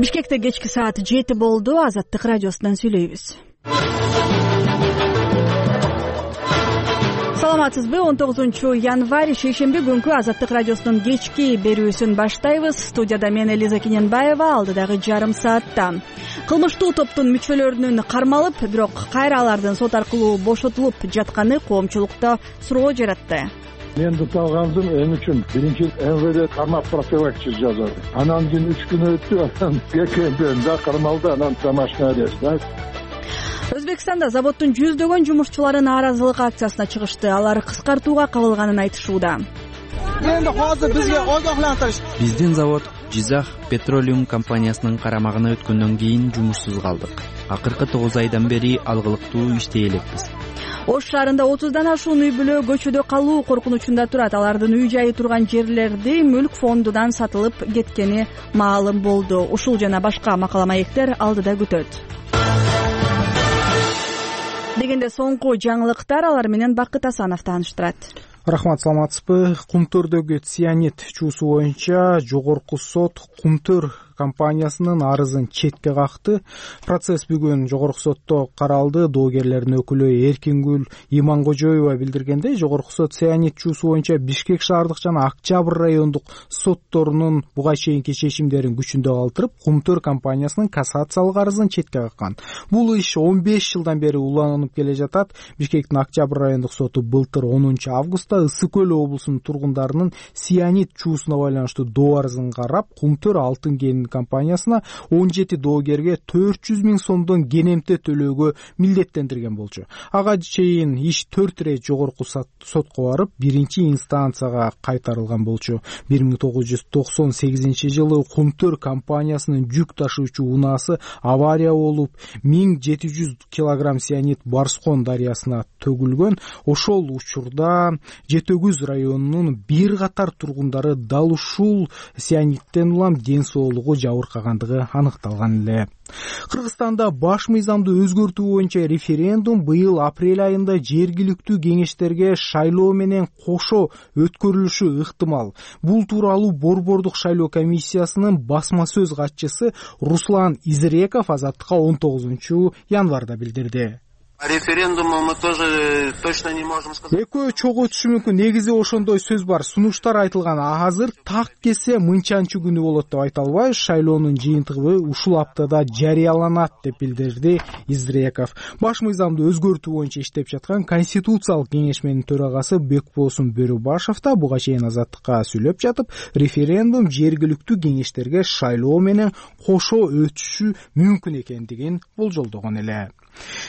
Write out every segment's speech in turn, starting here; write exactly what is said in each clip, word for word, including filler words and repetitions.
Бишкекте кечки саат жети болду. Азаттык радиосунан сүйлөйбүз. Саламатсызбы? он тогузунчу январь шейшемби күнкү Азаттык радиосунун кечки берүүсүн баштайбыз. Студияда мен Элиза Кененбаева, алдыдагы жарым саатта кылмыштуу топтун мүчөлөрүнүн кармалып, бирок кайра алардын сот аркылуу бошотулуп жатканы коомчулукта суроо жаратты. Мен дуталгандым эми үчүн биринчи эм вэ дэ кармап профилактика жасады. Анан кийин үч күн өттү, анан экенден да кармалды, анан домашний арест. Өзбекстанда заводдун жүздөгөн жумушчулары нааразылык акциясына чыгышты. Алар кыскартууга кабылганын айтышууда. Эми азыр бизге огоhlantirish. Биздин завод Жизах Petroleum компаниясынын карамагына өткөндөн кийин жумушсуз калдык. Акыркы тогуз айдан бери алгылыктуу иштей элекпиз. Ош шаарында отуздан ашуун үй бүлө көчөдө калуу коркунучунда турат. Алардын үй жайы турган жерлерди мүлк фондунан сатылып кеткени маалым болду. Ушул жана башка макала маектер алдыда күтөт. Дегенде соңку жаңылыктар, алар менен Бакыт Асанов тааныштырат. Рахмат, саламатсызбы? Кумтөрдөгү цианид чуусу боюнча жогорку сот Кумтөр компаниясынын арызын четке какты. Процесс бүгүн жогорку сотто каралды. Доогерлердин өкүлү Эркингүл Иманкожоева билдиргендей, жогорку сот цианид чуусу боюнча Бишкек шаардык жана Октябрь райондук сотторунун буга чейинки чечимдерин күчүндө калтырып, Кумтөр компаниясынын кассациялык арызын четке каккан. Бул иш он беш жылдан бери уланып келе жатат. Бишкектин Октябрь райондук соту былтыр онунчу августта Ысык Көл облусунун тургундарынын цианид чуусуна байланыштуу доо арызын карап, Кумтөр алтын кен компаниясына он жети доогерге төрт жүз миң сомдон кенемте төлөөгө милдеттендирген болчу. Ага чейин иш төрт ирет жогорку сотко барып, биринчи инстанцияга кайтарылган болчу. бир миң тогуз жүз токсон сегизинчи жылы Кумтөр компаниясынын жүк ташуучу унаасы авария болуп, миң жети жүз килограмм цианид Барскон дарыясына төгүлгөн. Ошол учурда Жетөгүз районунун бир катар тургундары дал ушул цианидтен улам ден соолугу жабыркагандыгы аныкталган эле. Кыргызстанда баш мыйзамды өзгөртүү боюнча референдум быйыл апрель айында жергиликтүү кеңештерге шайлоо менен кошо өткөрүлүшү ыктымал. Бул тууралуу Борбордук шайлоо комиссиясынын басма сөз катчысы Руслан Изреков Азаттыкка он тогузунчу январда билдирди. Референдуму мы тоже точно не можем сказать. Экөө чогуу өтүшү мүмкүн. Негизи ошондой сөз бар. Сунуштар айтылган. Азыр так кесе мынчанчы күнү болот деп айта албайбыз. Шайлоонун жыйынтыгы ушул аптада жарыяланат деп билдирди Изреков. Баш мыйзамды өзгөртүү боюнча иштеп жаткан Конституциялык кеңешменин төрагасы Бекбосун Бөрүбашев да буга чейин Азаттыкка сүйлөп жатып, референдум жергиликтүү кеңештерге шайлоо менен кошо өтүшү мүмкүн экендигин болжолдогон эле.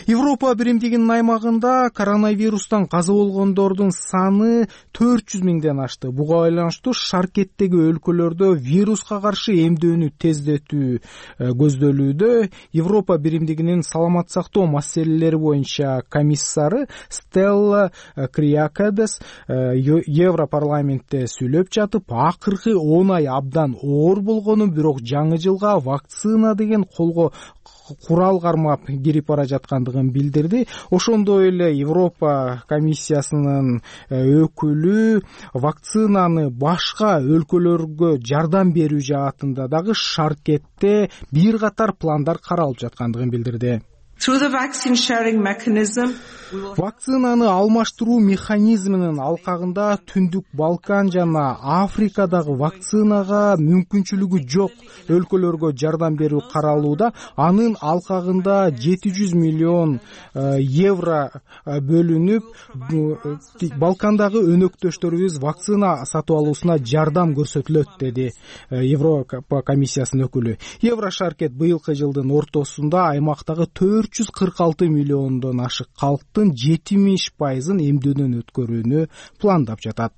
Европа биримдигинин аймагында коронавирустан каза болгондордун саны төрт жүз миңден ашты. Буга байланыштуу шаркеттеги өлкөлөрдө вируска каршы эмдөөнү тездетүү көздөлүүдө. Европа биримдигинин саламат сактоо маселелери боюнча комиссары Стелла Криакадес Европарламентте сүйлөп жатып, акыркы он ай абдан оор болгонун, бирок жаңы жылга вакцина деген колго курал кармап кирип бара жаткандыгын билдирди. Ошондой эле Европа комиссиясынын өкүлү вакцинаны башка өлкөлөргө жардам берүү жаатында дагы шаркетте бир катар пландар каралып жаткандыгын билдирди. Вакцинаны алмаштыруу механизминин алкагында Түндүк Балкан жана Африкадагы вакцинага мүмкүнчүлүгү жок өлкөлөргө жардам берүү каралууда. Анын алкагында жети жүз миллион евро бөлүнүп, Балкандагы өнөктөштөрүбүз вакцина сатып алуусуна жардам көрсөтүлөт, деди Европа комиссиясынын өкүлү. Еврошаркет быйылкы жылдын ортосунда аймактагы төрт жүз кырк алты миллиондон ашык калктын жетимиш пайызын эмдөөнөн өткөрүүнү пландап жатат.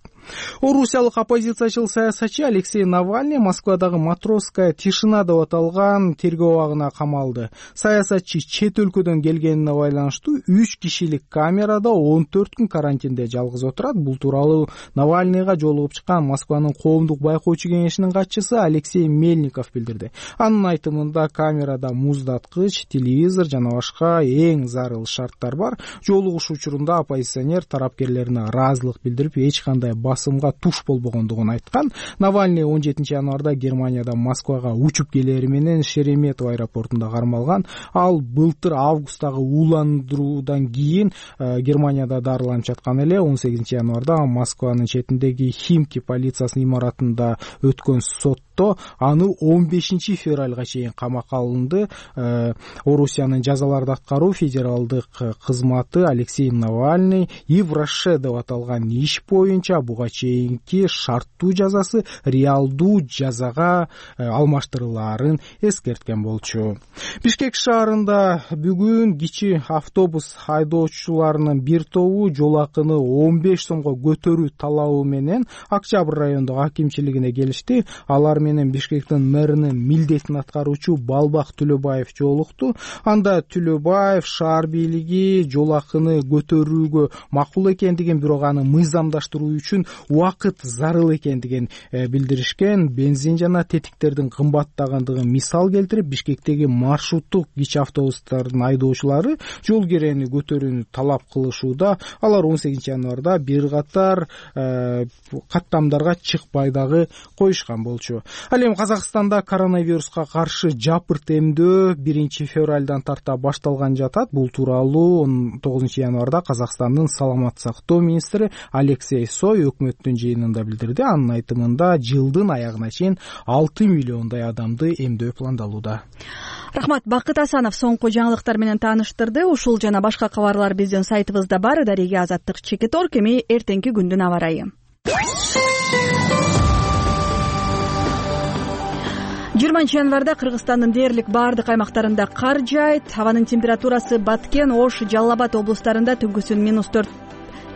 Орусиялык оппозициячыл саясатчы Алексей Навальный Москвадагы Матросская тишина деп аталган тергөө абагына камалды. Саясатчы чет өлкөдөн келгенине байланыштуу үч кишилик камерада он төрт күн карантинде жалгыз отурат. Бул тууралуу Навальныйга жолугуп чыккан Москванын коомдук байкоочу кеңешинин катчысы Алексей Мельников билдирди. Анын айтымында камерада муздаткыч, телевизор жана башка эң зарыл шарттар бар. Жолугуш учурунда оппозиционер тарапкерлерине ыраазылык билдирип, эч кандай басымга туш болбогондугун айткан. Навальный он жетинчи январда Германиядан Москвага учуп келери менен Шереметов аэропортунда кармалган. Ал былтыр августтагы ууландыруудан кийин Германияда дарыланып жаткан эле. он сегизинчи январда Москванын четиндеги Химки полициясынын имаратында өткөн сотто аны он бешинчи февралга чейин камакка алынды. Орусиянын жазаларды аткаруу федералдык кызматы Алексей Навальный Евроше деп аталган иш боюнча буга чейинки шарттуу жазасы реалдуу жазага алмаштырылаарын эскерткен болчу. Бишкек шаарында бүгүн кичи автобус айдоочуларынын бир тобу жол акыны он беш сомго көтөрүү талабы менен Октябрь райондук акимчилигине келишти. Алар менен Бишкектин мэринин милдетин аткаруучу Балбак Түлөбаев жолукту. Анда Түлөбаев шаар бийлиги жол акыны көтөрүүгө макул экендигин, бирок аны мыйзамдаштыруу үчүн убакыт зарыл экендигин билдиришкен. Бензин жана тетиктердин кымбаттагандыгын мисал келтирип, Бишкектеги маршруттук кичи автобустардын айдоочулары жол керени көтөрүүнү талап кылышууда. Алар он сегизинчи январда бир катар каттамдарга чыкпай дагы коюшкан болчу. Ал эми Казакстанда коронавируска каршы жапырт эмдөө биринчи февралдан тарта башталган жатат. Бул тууралуу он тогузунчу январда Казакстандын саламаттык сактоо министри Алексей Сой өкмөттүн жыйынында билдирди. Анын айтымында жылдын аягына чейин алты миллиондай адамды эмдөө пландалууда. Рахмат. Бакыт Асанов соңку жаңылыктар менен тааныштырды. Ушул жана башка кабарлар биздин сайтыбызда бар. Дареге Азаттык Чекиторг. Эми эртеңки күндүн аба ырайы. жыйырманчы январда Кыргызстандын дээрлик баардык аймактарында кар жаайт. Абанын температурасы Баткен, Ош, Жалал Абад облустарында түнкүсүн минус төрт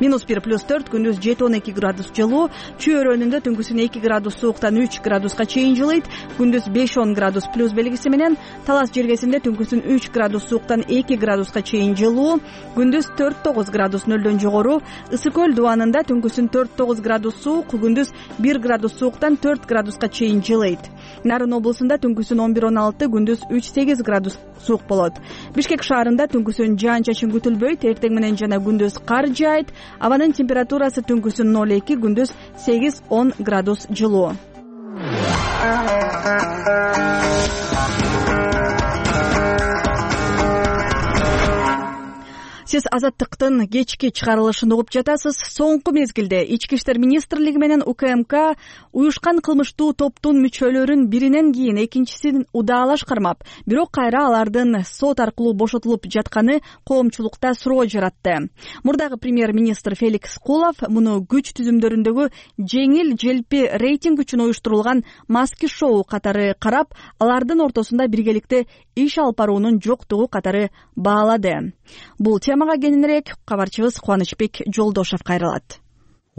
минус бир плюс төрт, күндүз жети он эки градус жылуу. Чүй өрөөнүндө түнкүсүн эки градус сууктан үч градуска чейин жылыйт. Күндүз беш он градус плюс белгиси менен. Талас жергесинде түнкүсүн үч градус сууктан эки градуска чейин жылуу. Күндүз төрт тогуз градус нөлдөн жогору. Ысык көл дубанында түнкүсүн төрт тогуз градус суук, күндүз бир градус сууктан төрт градуска чейин жылыйт. Нарын облусунда түнкүсүн он бир он алты, күндүз үч сегиз градус суук болот. Бишкек шаарында түнкүсүн жаан-чачын күтүлбөйт. Эртең менен жана күндүз кар жаайт. Абанын температурасы түнкүсүн ноль эки, күндүз сегиз он градус жылуу. Сиз Азаттыктын кечки чыгарылышын угуп жатасыз. Соңку мезгилде Ички иштер министрлиги менен УКМК уюшкан кылмыштуу топтун мүчөлөрүн биринен кийин экинчисин удаалаш кармап, бирок кайра алардын сот аркылуу бошотулуп жатканы коомчулукта суроо жаратты. Мурдагы премьер-министр Феликс Кулов муну күч түзүмдөрүндөгү жеңил желпи рейтинг үчүн уюштурулган маски шоу катары карап, алардын ортосунда биргеликте иш алып баруунун жоктугу катары баалады. Бул темага кененирээк кабарчыбыз Кубанычбек Жолдошов кайрылат.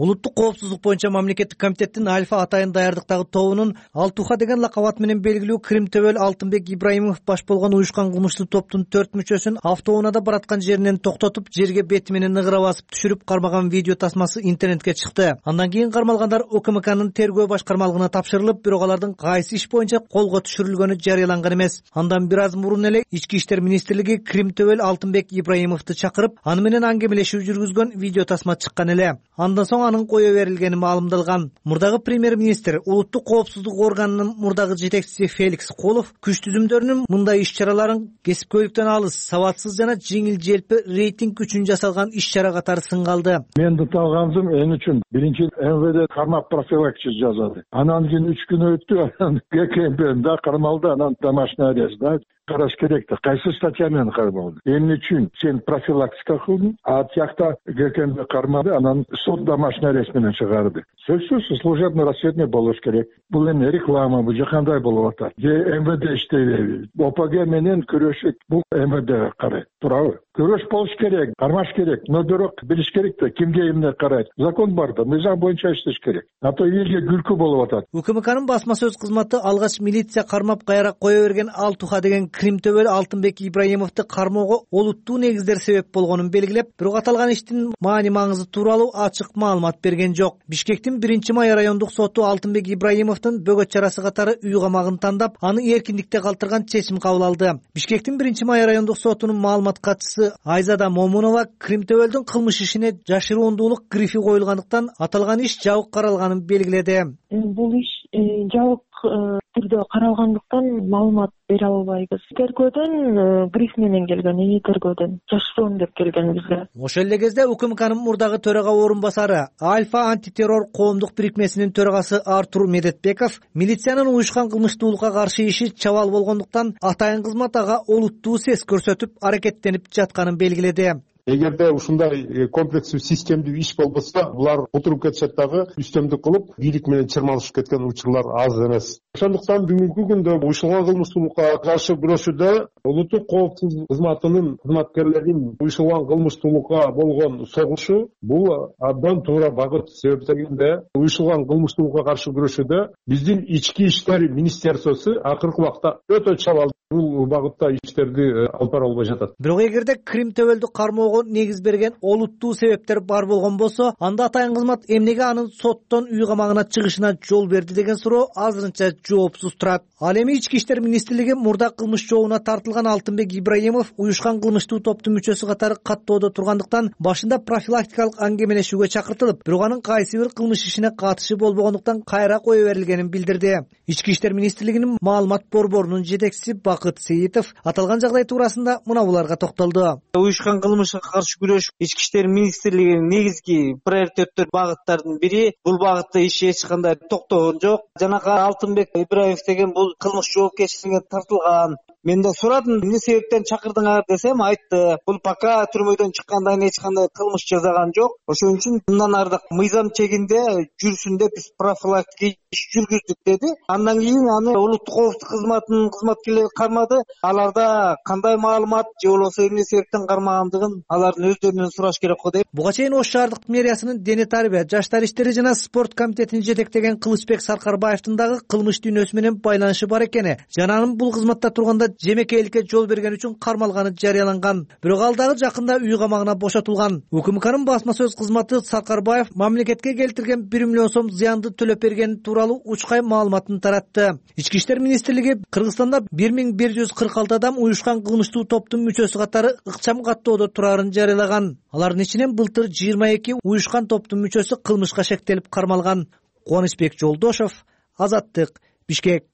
Улуттук коопсуздук боюнча мамлекеттик комитеттин Альфа атайын даярдыктагы тобунун Алтуха деген лакабат менен белгилүү Крим Төбөл Алтынбек Ибраимов баш болгон уюшкан кылмыштуу топтун төрт мүчөсүн автоунаада бараткан жеринен токтотуп, жерге бети менен ыгыра басып түшүрүп кармаган видео тасмасы интернетке чыкты. Андан кийин кармалгандар УКМКнын тергөө башкармалыгына тапшырылып, бирок алардын кайсы иш боюнча колго түшүрүлгөнү жарыяланган эмес. Андан бир аз мурун эле Ички иштер министрлиги Крим Төбөл Алтынбек Ибраимовду чакырып, аны менен аңгемелешүү жүргүзгөн видео тасма чыккан эле. Андан соң анын кое берилгени маалымдалган. Мурдагы премьер-министр улуттук коопсуздук органынын мурдагы жетекчиси Феликс Кулов күч түзүмдөрүнүн мындай иш-чараларын кесипкөйлүктөн алыс, сабатсыз жана жеңил желпи рейтинг үчүн жасалган иш-чара катары сынга алды. Мен талганзым эн үчүн биринчи эм вэ дэ кармап профилактика жасады. Анан кийин үч күн өттү, анан гэ ка эм пэ да кармалды, анан домашний арест да. Караш керек да. Кайсы статья менен кармалды? Эмне үчүн сен профилактика кылдың, а тиякта гэ ка эм пэ кармады, анан сот домашний арест менен чыгарды. Сөзсүз служебный расследование болуш керек. Бул эми реклама, бул кандай болуп атат? Же эм вэ дэ иштейби? о пэ гэ менен күрөшүп, бул эм вэ дэ карайт. Туурабы? Күрөш болуш керек, кармаш керек, но бирок билиш керек да, кимге эмне карайт. Закон бар да, мыйзам боюнча иштеш керек. А то элге күлкү болуп атат. УКМКнын басма сөз кызматы алгач милиция кармап кайра кое берген Алтуха деген Кримтөбөл Алтынбек Ибраимовду кармоого олуттуу негиздер себеп болгонун белгилеп, бирок аталган иштин маани маңызы тууралуу ачык маалымат берген жок. Бишкектин биринчи май райондук соту Алтынбек Ибраимовдун бөгөт чарасы катары үй камагын тандап, аны эркиндикте калтырган чечим кабыл алды. Бишкектин биринчи май райондук сотунун маалымат катчысы Айзада Момунова Кримтөбөлдүн кылмыш ишине жашыруундуулук грифи коюлгандыктан аталган иш жабык каралганын белгиледи. Бул иш жабык түрдө каралгандыктан маалымат бере албайбыз. Тергөөдөн гриф менен келген, эми тергөөдөн жашыруун деп келген бизге. Ошол эле кезде УКМКнын мурдагы төрага орун басары Альфа антитеррор коомдук бирикмесинин төрагасы Артур Медетбеков милициянын уюшкан кылмыштуулукка каршы иши чабал болгондуктан атайын кызмат ага олуттуу сес көрсөтүп аракеттенип жатканын белгиледи. Эгерде ушундай комплекстүү системдүү иш болбосо, булар отуруп кетишет дагы, үстөмдүк кылып, бийлик менен чырмалышып кеткен учурлар аз эмес. Ошондуктан бүгүнкү күндө уюшулган кылмыштуулукка каршы күрөшүүдө улуттук коопсуздук кызматынын кызматкерлеринин уюшулган кылмыштуулукка болгон согушу бул абдан туура багыт. Себеп дегенде, уюшулган кылмыштуулукка каршы күрөшүүдө биздин ички иштер министерствосу акыркы убакта өтө чабал бул багытта иштерди алып бара албай жатат. Бирок эгерде Кримтөбөлдү кармоого негиз берген олуттуу себептер бар болгон болсо, анда атайын кызмат эмнеге анын соттон үй камагына чыгышына жол берди деген суроо азырынча жоопсуз турат. Ал эми ички иштер министрлиги мурда кылмыш жообуна тартылган Алтынбек Ибраимов уюшкан кылмыштуу топтун мүчөсү катары каттоодо тургандыктан башында профилактикалык аңгемелешүүгө чакыртылып, бирок анын кайсы бир кылмыш ишине катышы болбогондуктан кайра кое берилгенин билдирди. Ички иштер министрлигинин маалымат борборунун жетекчиси Бакыт Сейитов аталган жагдай туурасында мына буларга токтолду. Уюшкан кылмышка каршы күрөш ички иштер министрлигинин негизги приоритеттер багыттардын бири. Бул багытта иш эч кандай токтогон жок. Жанагы Алтынбек Ибраимов деген бул кылмыш жоопкерчилигине тартылган. Мен да сурадым, эмне себептен чакырдыңар десем, айтты. Бул пока түрмөдөн чыккандан кийин эч кандай кылмыш жасаган жок. Ошон үчүн мындан ары мыйзам чегинде жүрсүн деп биз профилактика иш жүргүздүк деди. Андан кийин аны улуттук коопсуздук кызматынын кызматкерлери кармады. Аларда кандай маалымат же болбосо эмне себептен кармагандыгын алардын өздөрүнөн сураш керек го деп. Буга чейин Ош шаардык мэриясынын дене тарбия, жаштар иштери жана спорт комитетин жетектеген Кылычбек Саркарбаевдин дагы кылмыш дүйнөсү менен байланышы бар экени жана анын бул кызматта турганда жемекейликке жол берген үчүн кармалганы жарыяланган. Бирок ал дагы жакында үй камагына бошотулган. УКМКнын басма сөз кызматы Саркарбаев мамлекетке келтирген бир миллион сом зыянды төлөп бергени тууралуу учкай маалыматын таратты. Ички иштер министрлиги Кыргызстанда бир миң бир жүз кырк алты адам уюшкан кылмыштуу топтун мүчөсү катары ыкчам каттоодо турарын жарыялаган. Алардын ичинен былтыр жыйырма эки уюшкан топтун мүчөсү кылмышка шектелип кармалган. Кубанычбек Жолдошов, Азаттык, Бишкек.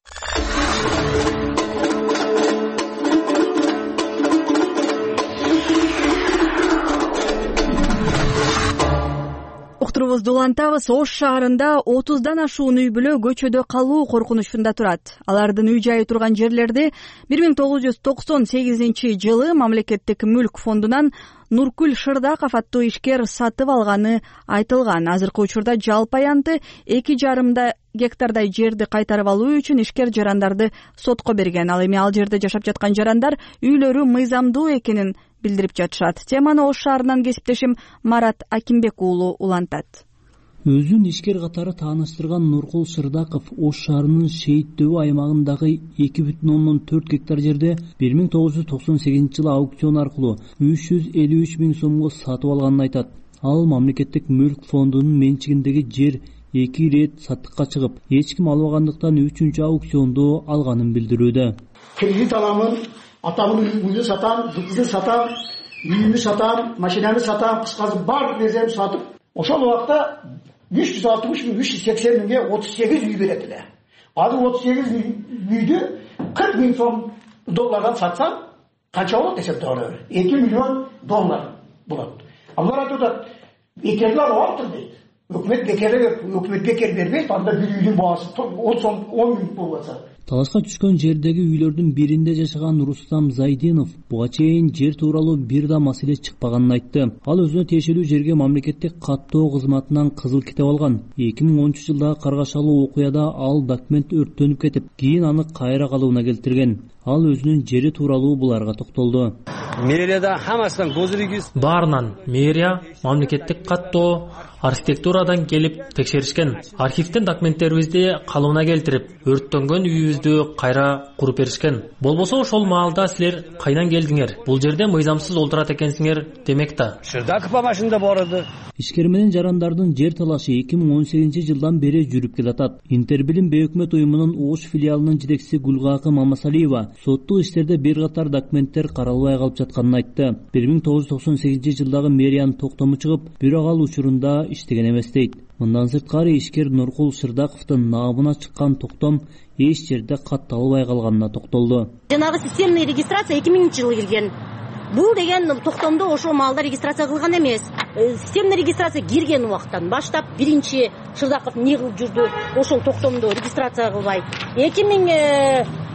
Уктурубузду улантабыз. Ош шаарында отуздан ашуун үй бүлө көчөдө калуу коркунучунда турат. Алардын үй жайы турган жерлерди бир миң тогуз жүз токсон сегизинчи жылы мамлекеттик мүлк фондунан Нуркүл Шырдаков аттуу ишкер сатып алганы айтылган. Азыркы учурда жалпы аянты эки жарымда гектардай жерди кайтарып алуу үчүн ишкер жарандарды сотко берген. Ал эми ал жерде жашап жаткан жарандар үйлөрү мыйзамдуу экенин билдирип жатышат. Теманы Ош шаарынан кесиптешим Марат Акимбек уулу улантат. Өзүн ишкер катары тааныштырган Нуркул Шырдаков Ош шаарынын Шейит дөбү аймагындагы эки бүтүн ондон төрт гектар жерде бир миң тогуз жүз токсон сегизинчи жылы аукцион аркылуу үч жүз элүү үч миң сомго сатып алганын айтат. Ал мамлекеттик мүлк фондунун менчигиндеги жер эки ирет саттыкка чыгып, эч ким албагандыктан үчүнчү аукционду алганын билдирүүдө. Кредит аламын, атамын үйүн сатам, кызды сатам, үйүмдү сатам, машинаны сатам, кыскасы бар нерсени сатып, ошол убакта үч жүз алтымыш миң, үч жүз сексен миңге отуз сегиз үй берет эле. Азыр отуз сегиз үйдү кырк миң сом доллардан сатсам, канча болот десем туура эки миллион доллар болот. Алар айтат, бекерлер алыптыр дейт. Өкмөт бекер, өкмөт бекер бербейт, анда бир үйдүн баасы он сом он миң болбосо. Талашка түшкөн жердеги үйлөрдүн биринде жашаган Рустам Зайдинов буга чейин жер тууралуу бир да маселе чыкпаганын айтты. Ал өзүнө тиешелүү жерге мамлекеттик каттоо кызматынан кызыл китеп алган. эки миң онунчу жылдагы каргашалуу окуяда ал документ өрттөнүп кетип, кийин аны кайра калыбына келтирген. Ал өзүнүн жери тууралуу буларга токтолду. мэрияда хамасынан госрегистр баарынан мэрия, мамлекеттик каттоо, архитектурадан келип текшеришкен. Архивден документтерибизди калыбына келтирип, өрттөнгөн үйүбүздү кайра куруп беришкен. Болбосо ошол маалда силер кайдан келдиңер? Бул жерде мыйзамсыз олтурат экенсиңер демек да. Шырдаков машинада барады. Ишкер менен жарандардын жер талашы эки миң он сегизинчи жылдан бери жүрүп келатат. Интербилим бейөкмөт уюмунун Ош филиалынын жетекчиси Гулгакы Мамасалиева соттук иштерде бир катар документтер каралбай калып жатканын айтты. бир миң тогуз жүз токсон сегизинчи жылдагы мэриянын токтому чыгып, бирок ал учурунда иштеген эмес дейт. Мындан сырткары ишкер Нуркул Шырдаковдун наабына чыккан токтом эч жерде катталбай калганына токтолду. Жанагы системный регистрация эки миңинчи жылы кирген. Бул деген токтомдо ошол маалда регистрация кылган эмес. Системный регистрация кирген убактан баштап биринчи Шырдаков эмне кылып жүрдү? Ошол токтомдо регистрация кылбай. эки миң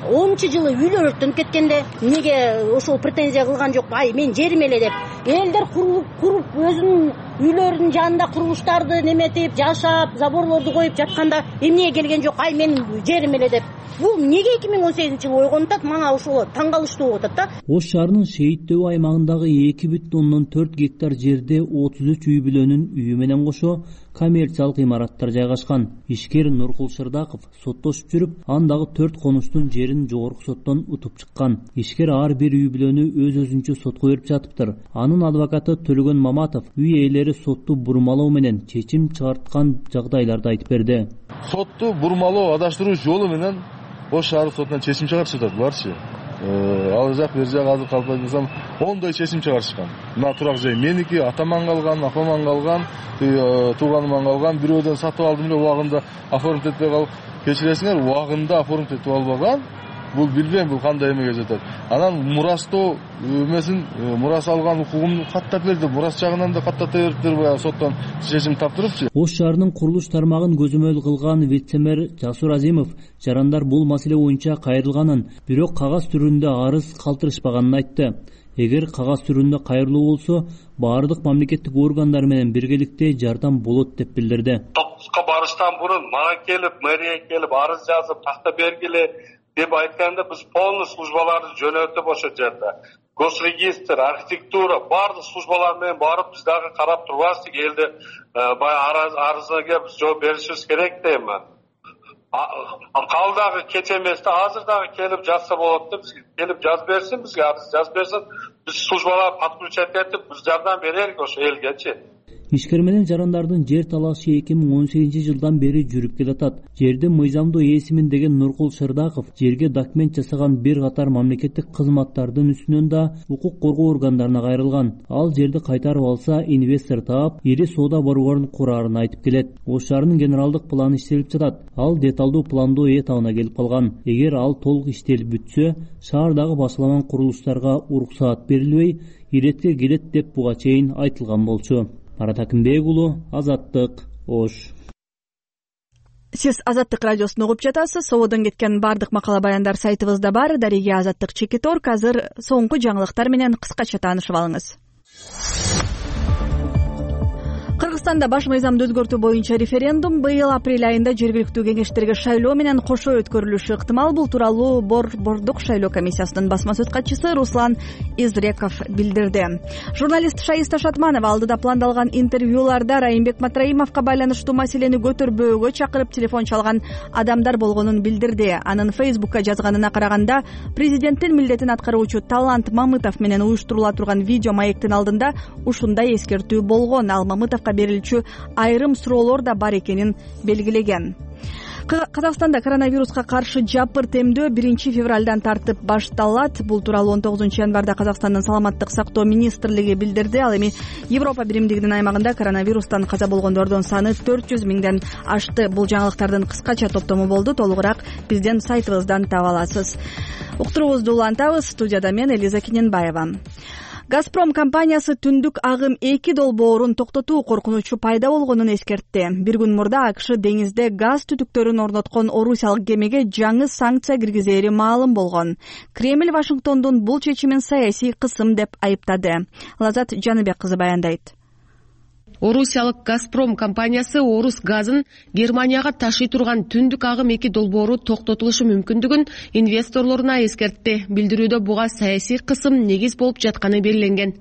онунчу жылы үйлөр өрттөнүп кеткенде эмнеге ошол претензия кылган жок? Ай, мен жерим эле деп. Элдер куруп, куруп өзүнүн үйлөрүнүн жанында курулуштарды неметип, жашап, заборлорду коюп жатканда эмнеге келген жок? Ай, мен жерим эле деп. Бул эмнеге эки миң он сегизинчи жылы ойгонуп атат? Мага ошол таң калыштуу болуп атат да. Ош шаарынын Шейитдөбү аймагындагы эки бүтүн ондон төрт гектар жерде отуз үч үй бүлөнүн үйү менен кошо коммерциялык имараттар жайгашкан. Ишкер Нуркул Шырдаков соттошуп жүрүп, андагы төрт конуштун жерин жогорку соттон утуп чыккан. Ишкер ар бир үй бүлөнү өз өзүнчө сотко берип жатыптыр. Анын адвокаты Төлөгөн Маматов үй ээлери сотту бурмалоо менен чечим чыгарткан жагдайларды айтып берди. Сотту бурмалоо, адаштыруу жолу менен Ош шаардык сотунан чечим чыгарышып атат буларчы. Ал жак бер жак азыр калп айтсам ондой чечим чыгарышкан. Мына турак жай меники, атаман калган, апаман калган, тууганыман калган, бирөөдөн сатып алдым эле убагында оформить этпей калып, кечиресиңер, убагында оформить этип албаган. Бул билбейм, бул кандай эмеге жатат. Анан мурастоо эмесин, мурас алган укугумду каттап берди. Мурас жагынан да каттата бериптир, баягы соттон чечим таптырыпчы. Ош шаарынын курулуш тармагын көзөмөл кылган вице-мэр Жасур Азимов жарандар бул маселе боюнча кайрылганын, бирок кагаз түрүндө арыз калтырышпаганын айтты. Эгер кагаз түрүндө кайрылуу болсо, баардык мамлекеттик органдар менен биргеликте жардам болот деп билдирди. Топускка барыштан мурун мага келип, мэрия келип арыз жазып, такта бергиле деп айтканда биз полный службаларды жөнөтүп ошол жерде. Госрегистр, архитектура, баардык службалар менен барып биз дагы карап турбастык, элди баягы арызга биз жооп беришибиз керек дейм. Кал дагы кеч эмес да, азыр дагы келип жазса болот да, бизге келип жазып берсин, бизге арыз жазып берсин, биз службалар подключать этип, биз жардам берелик ошо элгечи. Ишкер менен жарандардын жер талашы эки миң он сегизинчи жылдан бери жүрүп келатат. Жерди мыйзамдуу ээсимин деген Нуркул Шырдаков жерге документ жасаган бир катар мамлекеттик кызматтардын үстүнөн да укук коргоо органдарына кайрылган. Ал жерди кайтарып алса, инвестор таап, ири соода борборун курарын айтып келет. Ош шаарынын генералдык планы иштелип жатат. Ал деталдуу пландоо этабына келип калган. Эгер ал толук иштелип бүтсө, шаардагы башаламан курулуштарга уруксаат берилбей, иретке келет деп буга чейин айтылган болчу. Марат Акимбек уулу, Азаттык, Ош. Сиз Азаттык радиосун угуп жатасыз. Сободон кеткен бардык макала баяндар сайтыбызда бар. Дареге Азаттык Чекиторг. Азыр соңку жаңылыктар менен кыскача таанышып алыңыз. Кыргызстанда баш мыйзамды өзгөртүү боюнча референдум быйыл апрель айында жергиликтүү кеңештерге шайлоо менен кошо өткөрүлүшү ыктымал. Бул тууралуу Борбордук шайлоо комиссиясынын басма сөз катчысы Руслан Изреков билдирди. Журналист Шаиста Шатманова алдыда пландалган интервьюларда Райымбек Матраимовго байланыштуу маселени көтөрбөөгө чакырып телефон чалган адамдар болгонун билдирди. Анын Фейсбукка жазганына караганда, президенттин милдетин аткаруучу Талант Мамытов менен уюштурула турган видео маектин алдында ушундай эскертүү болгон. Ал Мамытовго берилчү айрым суроолор да бар экенин белгилеген. Казакстанда коронавируска каршы жапыр темдөө биринчи февралдан тартып башталат. Бул тууралуу он тогузунчу январда Казакстандын саламаттык сактоо министрлиги билдирди. Ал эми Европа биримдигинин аймагында коронавирустан каза болгондордун саны төрт жүз миңден ашты. Бул жаңылыктардын кыскача топтому болду. Толугураак биздин сайтыбыздан таба аласыз. Уктуруубузду улантабыз. Студияда мен Элиза Киненбаева. Газпром компаниясы түндүк агым эки долбоорун токтотуу коркунучу пайда болгонун эскертти. Бир күн мурда АКШ деңизде газ түтүктөрүн орноткон орусиялык кемеге жаңы санкция киргизери маалым болгон. Кремль Вашингтондун бул чечимин саясий кысым деп айыптады. Лазат Жаныбек кызы баяндайт. Орусиялык «Газпром» компаниясы орус газын Германияга ташый турган түндүк агым эки долбоору токтотулушу мүмкүндүгүн инвесторлоруна эскертти. Билдирүүдө буга саясий кысым негиз болуп жатканы белгиленген.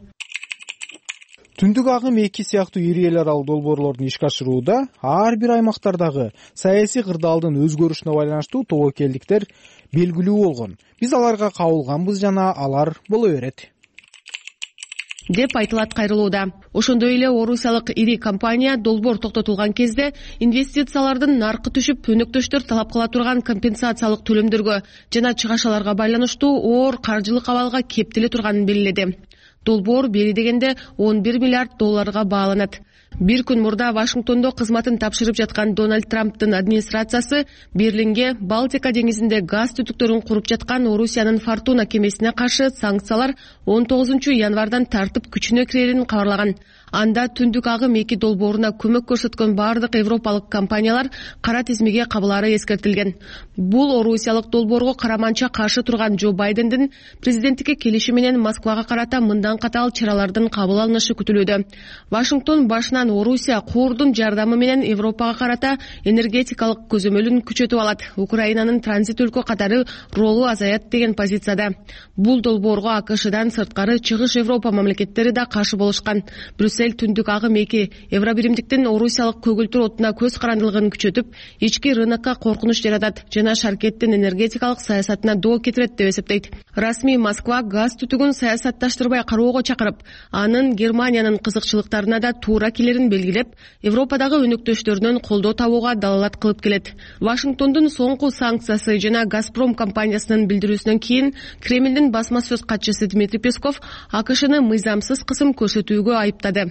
Түндүк агым эки сыяктуу ири эл аралык долбоорлордун ишке ашырууда ар бир аймактардагы саясий кырдаалдын өзгөрүшүнө байланыштуу тобокелдиктер белгилүү болгон. Биз аларга кабылганбыз жана алар боло берет деп айтылат кайрылууда. Ошондой эле орусиялык ири компания долбоор токтотулган кезде инвестициялардын наркы түшүп, өнөктөштөр талап кыла турган компенсациялык төлөмдөргө жана чыгашаларга байланыштуу оор каржылык абалга кептеле турганын белгиледи. Долбоор бери дегенде он бир миллиард долларга бааланат. Бир күн мурда Вашингтондо кызматын тапшырып жаткан Дональд Трамптын администрациясы Берлинге Балтика деңизинде газ түтүктөрүн куруп жаткан Орусиянын Фортуна кемесине каршы санкциялар он тогузунчу январдан тартып күчүнө кирерин кабарлаган. Анда түндүк агым эки долбооруна көмөк көрсөткөн бардык европалык компаниялар кара тизмеге кабылары эскертилген. Бул орусиялык долбоорго караманча каршы турган Джо Байдендин президенттикке келиши менен Москвага карата мындан катаал чаралардын кабыл алынышы күтүлүүдө. Вашингтон башынан Орусия куурдун жардамы менен Европага карата энергетикалык көзөмөлүн күчөтүп алат. Украинанын транзит өлкө катары ролу азаят деген позицияда. Бул долбоорго АКШдан сырткары чыгыш Европа мамлекеттери да каршы болушкан. Брюссель түндүк агым эки Евробиримдиктин орусиялык көгүлтүр отуна көз карандылыгын күчөтүп, ички рынокко коркунуч жаратат жана шаркеттин энергетикалык саясатына доо кетирет деп эсептейт. Расмий Москва газ түтүгүн саясатташтырбай кароого чакырып, анын Германиянын кызыкчылыктарына да туура келерин белгилеп, Европадагы өнөктөштөрүнөн колдоо табууга далалат кылып келет. Вашингтондун соңку санкциясы жана «Газпром» компаниясынын билдирүүсүнөн кийин Кремлдин басма сөз катчысы Дмитрий Песков АКШны мыйзамсыз кысым көрсөтүүгө айыптады.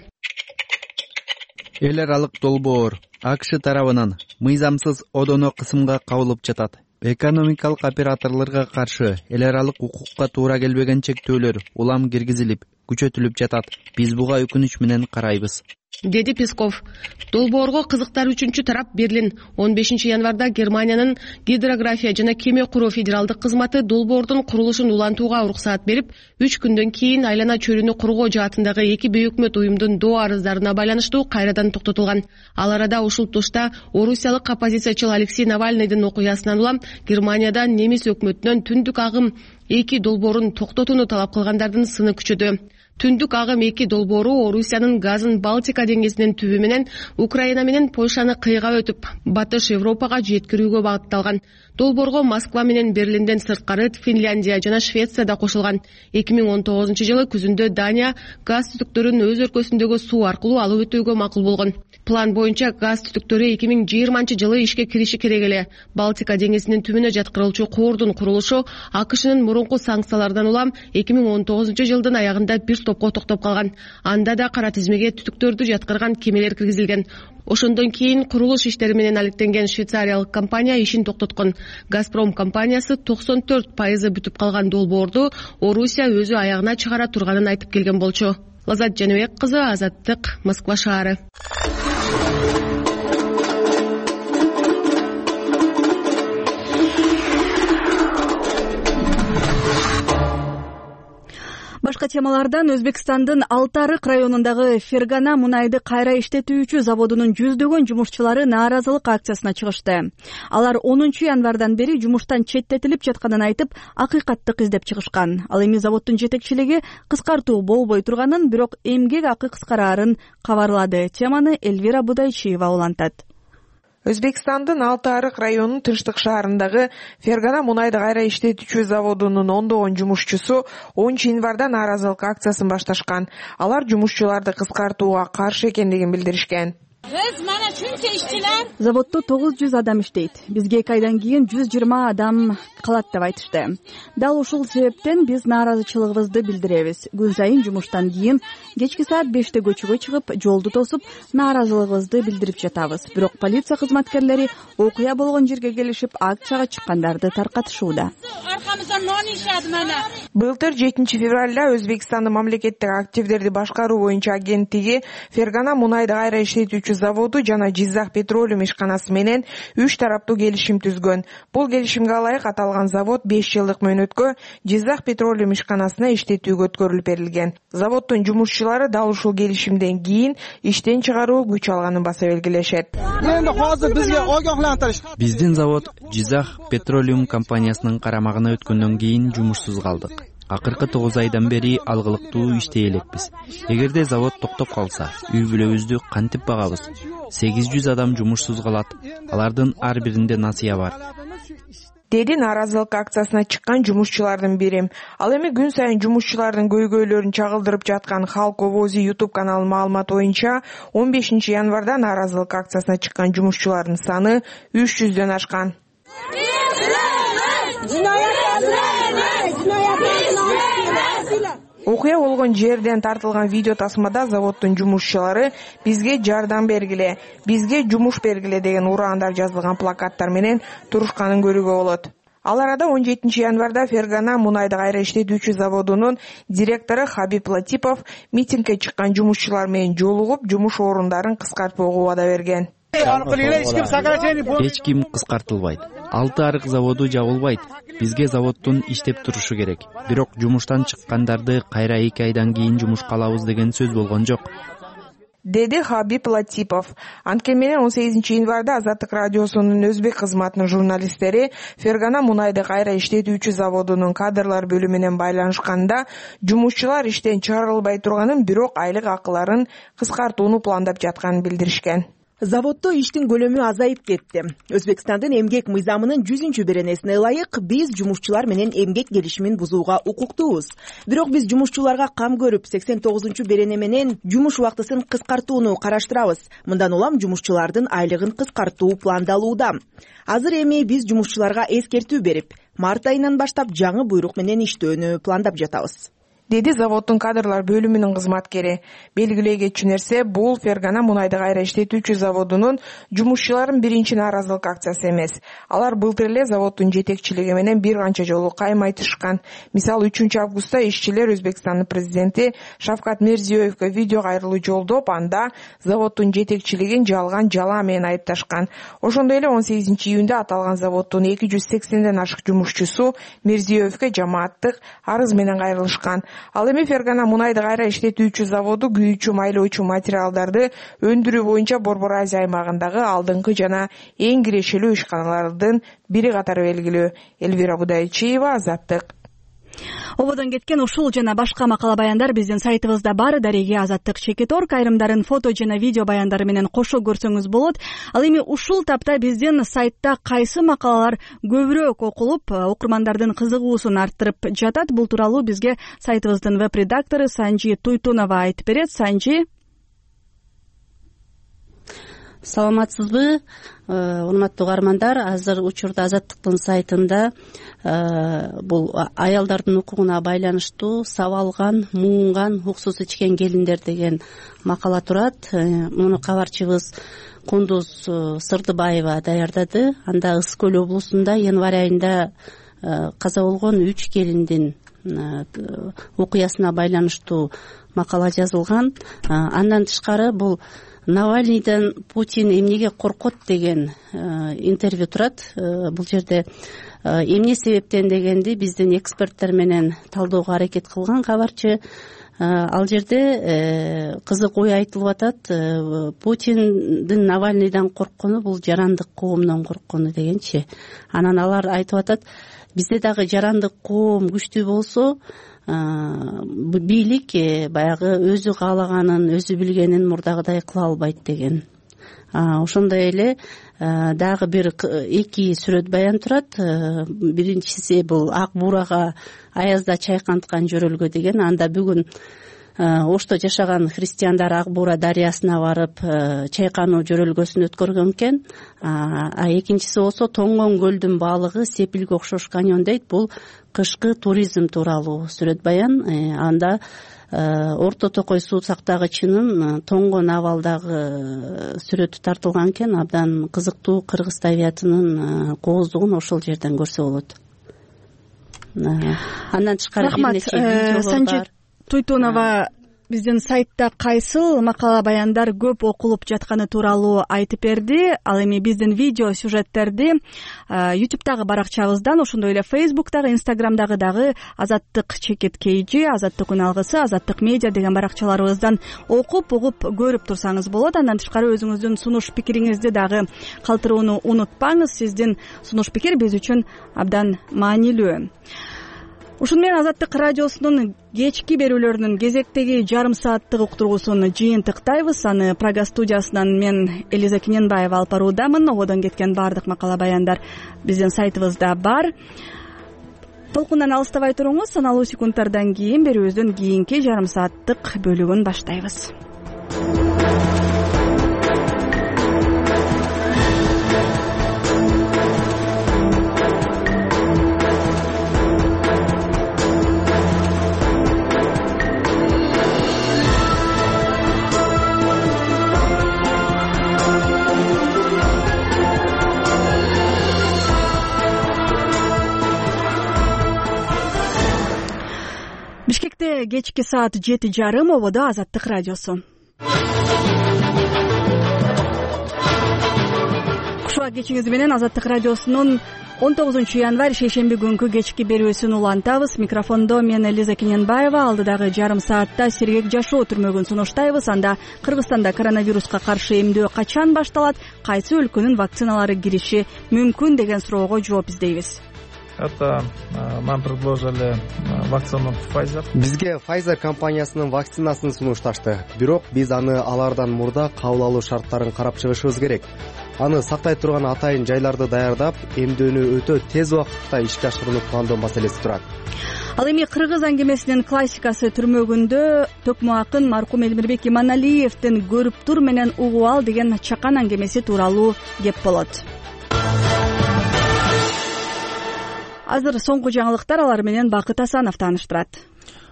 Эл аралык долбоор АКШ тарабынан мыйзамсыз одоно кысымга кабылып жатат. Экономикалык операторлорго каршы эл аралык укукка туура келбеген чектөөлөр улам киргизилип, күчөтүлүп жатат. Биз буга өкүнүч менен карайбыз, деди Песков. Долбоорго кызыктар үчүнчү тарап Берлин он бешинчи январда Германиянын гидрография жана кеме куруу федералдык кызматы долбоордун курулушун улантууга уруксаат берип, үч күндөн кийин айлана чөлүнү кургоо жаатындагы эки бейөкмөт уюмдун доо арыздарына байланыштуу кайрадан токтотулган. Ал арада ушул тушта орусиялык оппозициячыл Алексей Навальныйдын окуясынан улам Германияда немис өкмөтүнөн түндүк агым эки долбоорун токтотууну талап кылгандардын сыны күчөдү. Түндүк агым эки долбоору Орусиянын газын Балтика деңизинин түбү менен Украина менен Польшаны кыйгап өтүп, батыш Европага жеткирүүгө багытталган. Долбоорго Москва менен Берлинден сырткары Финляндия жана Швеция да кошулган. эки миң он тогузунчу жылы күзүндө Дания газ түтүктөрүн өз өлкөсүндөгү суу аркылуу алып өтүүгө макул болгон. План боюнча газ түтүктөрү эки миң жыйырманчы жылы ишке кириши керек эле. Балтика деңизинин түбүнө жаткырылчу куурдун курулушу АКШнын мурунку санкциялардан улам эки миң он тогузунчу жылдын аягында бир топко токтоп калган. Анда да кара тизмеге түтүктөрдү жаткырган кемелер киргизилген. Ошондон кийин курулуш иштери менен алектенген швейцариялык компания ишин токтоткон. «Газпром» компаниясы токсон төрт пайызы бүтүп калган долбоорду Орусия өзү аягына чыгара турганын айтып келген болчу. Лазат Жаныбек кызы, Азаттык, Москва шаары. Башка темалардан Өзбекстандын Алты Арык районундагы Фергана мунайды кайра иштетүүчү заводунун жүздөгөн жумушчулары нааразылык акциясына чыгышты. Алар онунчу январдан бери жумуштан четтетилип жатканын айтып, акыйкаттык издеп чыгышкан. Ал эми заводдун жетекчилиги кыскартуу болбой турганын, бирок эмгек акы кыскараарын кабарлады. Теманы Элвира Будайчиева улантат. Өзбекстандын Алты Арык районунун тынчтык шаарындагы Фергана мунайды кайра иштетүүчү заводунун ондогон жумушчусу онунчу январда нааразылык акциясын башташкан. Алар жумушчуларды кыскартууга каршы экендигин билдиришкен. Заводдо тогуз жүз адам иштейт. Бизге эки айдан кийин жүз жыйырма адам калат деп айтышты. Дал ушул себептен биз нааразычылыгыбызды билдиребиз. Күн сайын жумуштан кийин кечки саат беште көчөгө чыгып, жолду тосуп, нааразылыгыбызды билдирип жатабыз. Бирок полиция кызматкерлери окуя болгон жерге келишип, акцияга чыккандарды таркатышууда. Былтыр жетинчи февралда Өзбекстандын мамлекеттик активдерди башкаруу боюнча агенттиги Фергана мунайды кайра иштетүүчү эстетүүчү заводу жана Жизак Петролиум ишканасы менен үч тараптуу келишим түзгөн. Бул келишимге ылайык аталган завод беш жылдык мөөнөткө Жизак Петролиум ишканасына иштетүүгө өткөрүлүп берилген. Заводдун жумушчулары дал ушул келишимден кийин иштен чыгаруу күч алганын баса белгилешет. Эми азыр бизге огоhlantirish. Биздин завод Жизак Петролиум компаниясынын карамагына өткөндөн кийин жумушсуз калдык. Акыркы тогуз айдан бери алгылыктуу иштей элекпиз. Эгерде завод токтоп калса, үй бүлөбүздү кантип багабыз? сегиз жүз адам жумушсуз калат. Алардын ар биринде насыя бар. Деди нааразылык акциясына чыккан жумушчулардын бири. Ал эми күн сайын жумушчулардын көйгөйлөрүн чагылдырып жаткан Халк Овози YouTube каналынын маалыматы боюнча он бешинчи январда нааразылык акциясына чыккан жумушчулардын саны үч жүздөн ашкан. Окуя болгон жерден тартылган видео тасмада заводдун жумушчулары бизге жардам бергиле, бизге жумуш бергиле деген ураандар жазылган плакаттар менен турушканын көрүүгө болот. Ал арада он жетинчи январда Фергана мунайды кайра иштетүүчү заводунун директору Хабиб Латипов митингге чыккан жумушчулар менен жолугуп, жумуш орундарын кыскартпоого убада берген. Эч ким кыскартылбайт. Алты арык заводу жабылбайт. Бизге заводдун иштеп турушу керек. Бирок жумуштан чыккандарды кайра эки айдан кийин жумушка алабыз деген сөз болгон жок. Деди Хабиб Латипов. Анткени менен он сегизинчи январда Азаттык радиосунун өзбек кызматынын журналисттери Фергана мунайды кайра иштетүүчү заводунун кадрлар бөлүмү менен байланышканда жумушчулар иштен чыгарылбай турганын, бирок айлык акыларын кыскартууну пландап жатканын билдиришкен. Заводдо иштин көлөмү азайып кетти. Өзбекстандын эмгек мыйзамынын жүзүнчү беренесине ылайык биз жумушчулар менен эмгек келишимин бузууга укуктуубуз. Бирок биз жумушчуларга кам көрүп сексен тогузунчу берене менен жумуш убактысын кыскартууну караштырабыз. Мындан улам жумушчулардын айлыгын кыскартуу пландалууда. Азыр эми биз жумушчуларга эскертүү берип, март айынан баштап жаңы буйрук менен иштөөнү пландап жатабыз, деди заводдун кадрлар бөлүмүнүн кызматкери. Белгилей кетчү нерсе, бул Фергана мунайды кайра иштетүүчү заводунун жумушчуларын биринчи нааразылык акциясы эмес. Алар былтыр эле заводдун жетекчилиги менен бир канча жолу кайым айтышкан. Мисалы, үчүнчү августта ишчилер Өзбекстандын президенти Шавкат Мирзиёевге видео кайрылуу жолдоп, анда заводдун жетекчилигин жалган жала менен айыпташкан. Ошондой эле он сегизинчи июнда аталган заводдун эки жүз сексенден ашык жумушчусу Мирзиёевге жамааттык арыз менен кайрылышкан. Ал эми Фергана мунайды кайра иштетүүчү заводу күйүүчү майлоочу материалдарды өндүрүү боюнча Борбор Азия аймагындагы алдыңкы жана эң кирешелүү ишканалардын бири катары белгилүү. Элвира Будайчиева, Азаттык. Ободон кеткен ушул жана башка макала баяндар биздин сайтыбызда бар. Дареги Азаттык чекит орг айрымдарын фото жана видео баяндары менен кошо көрсөңүз болот. Ал эми ушул тапта биздин сайтта кайсы макалалар көбүрөөк окулуп, окурмандардын кызыгуусун арттырып жатат, бул тууралуу бизге сайтыбыздын веб-редактору Санжи Туйтунова айтып берет. Санжи. Саламатсызбы, урматтуу угармандар? Азыр учурда Азаттыктын сайтында бул аялдардын укугуна байланыштуу сабалган, муунган, уксус ичкен келиндер деген макала турат. Муну кабарчыбыз Кундуз Сырдыбаева даярдады. Анда Ысык Көл облусунда январь айында каза болгон үч келиндин окуясына байланыштуу макала жазылган. Андан тышкары бул Навальныйдан Путин эмнеге коркот деген интервью турат. Бул жерде эмне себептен дегенди биздин эксперттер менен талдөөгө аракет кылган кабарчы. Ал жерде кызык ой айтылып атат. Путиндин Навальныйдан корккону бул жарандык коомдон корккону дегенчи. Анан алар айтып атат, бизде дагы жарандык коом күчтүү болсо, бийлик баягы өзү каалаганын, өзү билгенин мурдагыдай кыла албайт деген. Ошондой эле дагы бир эки сүрөт баян турат. Биринчиси бул Ак буурага аязда чайканткан жөрөлгө деген. Анда бүгүн Ошто жашаган христиандар Ак буура дарыясына барып чайкануу жөрөлгөсүн өткөргөн экен. А экинчиси болсо тоңгон көлдүн баалыгы сепилге окшош каньон дейт. Бул кышкы туризм тууралуу сүрөт баян. Анда Орто Токой суу сактагычынын тоңгон абалдагы сүрөтү тартылган экен. Абдан кызыктуу кыргыз табиятынын кооздугун ошол жерден көрсө болот. Андан тышкары бир нече видеолор бар. Туйтунова, биздин сайтта кайсыл макала баяндар көп окулуп жатканы тууралуу айтып берди. Ал эми биздин видео сюжеттерди ютубтагы баракчабыздан, ошондой эле фейсбуктагы, инстаграмдагы дагы азаттык чекит кейжи, азаттык күн алгысы, азаттык медиа деген баракчаларыбыздан окуп угуп көрүп турсаңыз болот. Андан тышкары өзүңүздүн сунуш пикириңизди дагы калтырууну унутпаңыз. Сиздин сунуш пикир биз үчүн абдан маанилүү. Ушуну менен Азаттык радиосунун кечки берүүлөрүнүн кезектеги жарым сааттык уктуруусун жыйынтыктайбыз. Аны Прага студиясынан мен Элиза Кененбаева алып баруудамын. Ободон кеткен баардык макала баяндар биздин сайтыбызда бар. Толкундан алыстабай туруңуз. Саналуу секундтардан кийин берүүбүздүн кийинки жарым сааттык бөлүгүн баштайбыз. Бишкекте кечки саат жети жарым, ободо Азаттык радиосу. Кушуак кечиңиз менен Азаттык радиосунун он тогузунчу январь шейшемби күнкү кечки берүүсүн улантабыз. Микрофондо мен Элиза Кененбаева. Алдыдагы жарым саатта сергек жашоо түрмөгүн сунуштайбыз. Анда Кыргызстанда коронавируска каршы эмдөө качан башталат, кайсы өлкөнүн вакциналары кириши мүмкүн деген суроого жооп издейбиз. Это нам предложили вакцину Pfizer. Бизге Pfizer компаниясынын вакцинасын сунушташты. Бирок биз аны алардан мурда кабыл алуу шарттарын карап чыгышыбыз керек. Аны сактай турган атайын жайларды даярдап, эмдөөнү өтө тез убакытта ишке ашырууну пландоо маселеси турат. Ал эми кыргыз аңгемесинин классикасы түрмөгүндө төкмө акын маркум Элмирбек Иманалиевдин көрүп тур менен угуп ал деген чакан аңгемеси тууралуу кеп болот. Азыр соңку жаңылыктар, алар менен Бакыт Асанов тааныштырат.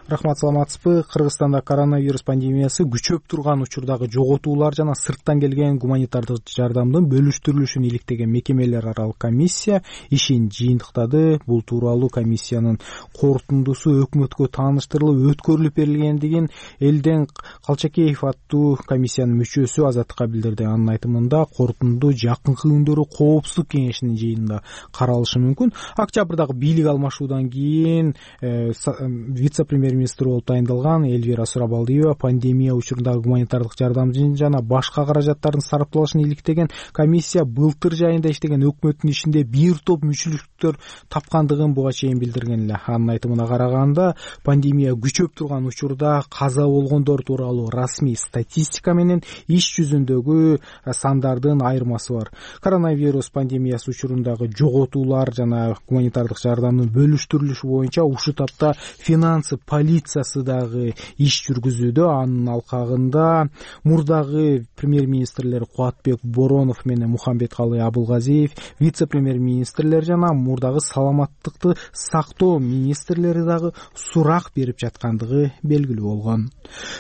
Рахмат, саламатсызбы? Кыргызстанда коронавирус пандемиясы күчөп турган учурдагы жоготуулар жана сырттан келген гуманитардык жардамдын бөлүштүрүлүшүн иликтеген мекемелер аралык комиссия ишин жыйынтыктады. Бул тууралуу комиссиянын корутундусу өкмөткө тааныштырылып өткөрүлүп берилгендигин Элден Калчакеев аттуу комиссиянын мүчөсү Азаттыкка билдирди. Анын айтымында корутунду жакынкы күндөрү коопсуздук кеңешинин жыйынында каралышы мүмкүн. Октябрдагы бийлик алмашуудан кийин вице-премьер министр болуп тайындалган Элвира Сурабалдиева пандемия учурундагы гуманитардык жардамдын жана башка каражаттардын сарапталышын иликтеген комиссия былтыр жайында иштеген өкмөттүн ишинде бир топ мүчүлүктөр тапкандыгын буга чейин билдирген эле. Анын айтымына караганда, пандемия күчөп турган учурда каза болгондор тууралуу расмий статистика менен иш жүзүндөгү сандардын айырмасы бар. Коронавирус пандемиясы учурундагы жоготуулар жана гуманитардык жардамдын бөлүштүрүлүшү боюнча ушул тапта финансы полициясы дагы иш жүргүзүүдө. Анын алкагында мурдагы премьер-министрлер Кубатбек Боронов менен Мухамбеткалый Абылгазиев, вице-премьер-министрлер жана мурдагы саламаттыкты сактоо министрлери дагы сурак берип жаткандыгы белгилүү болгон.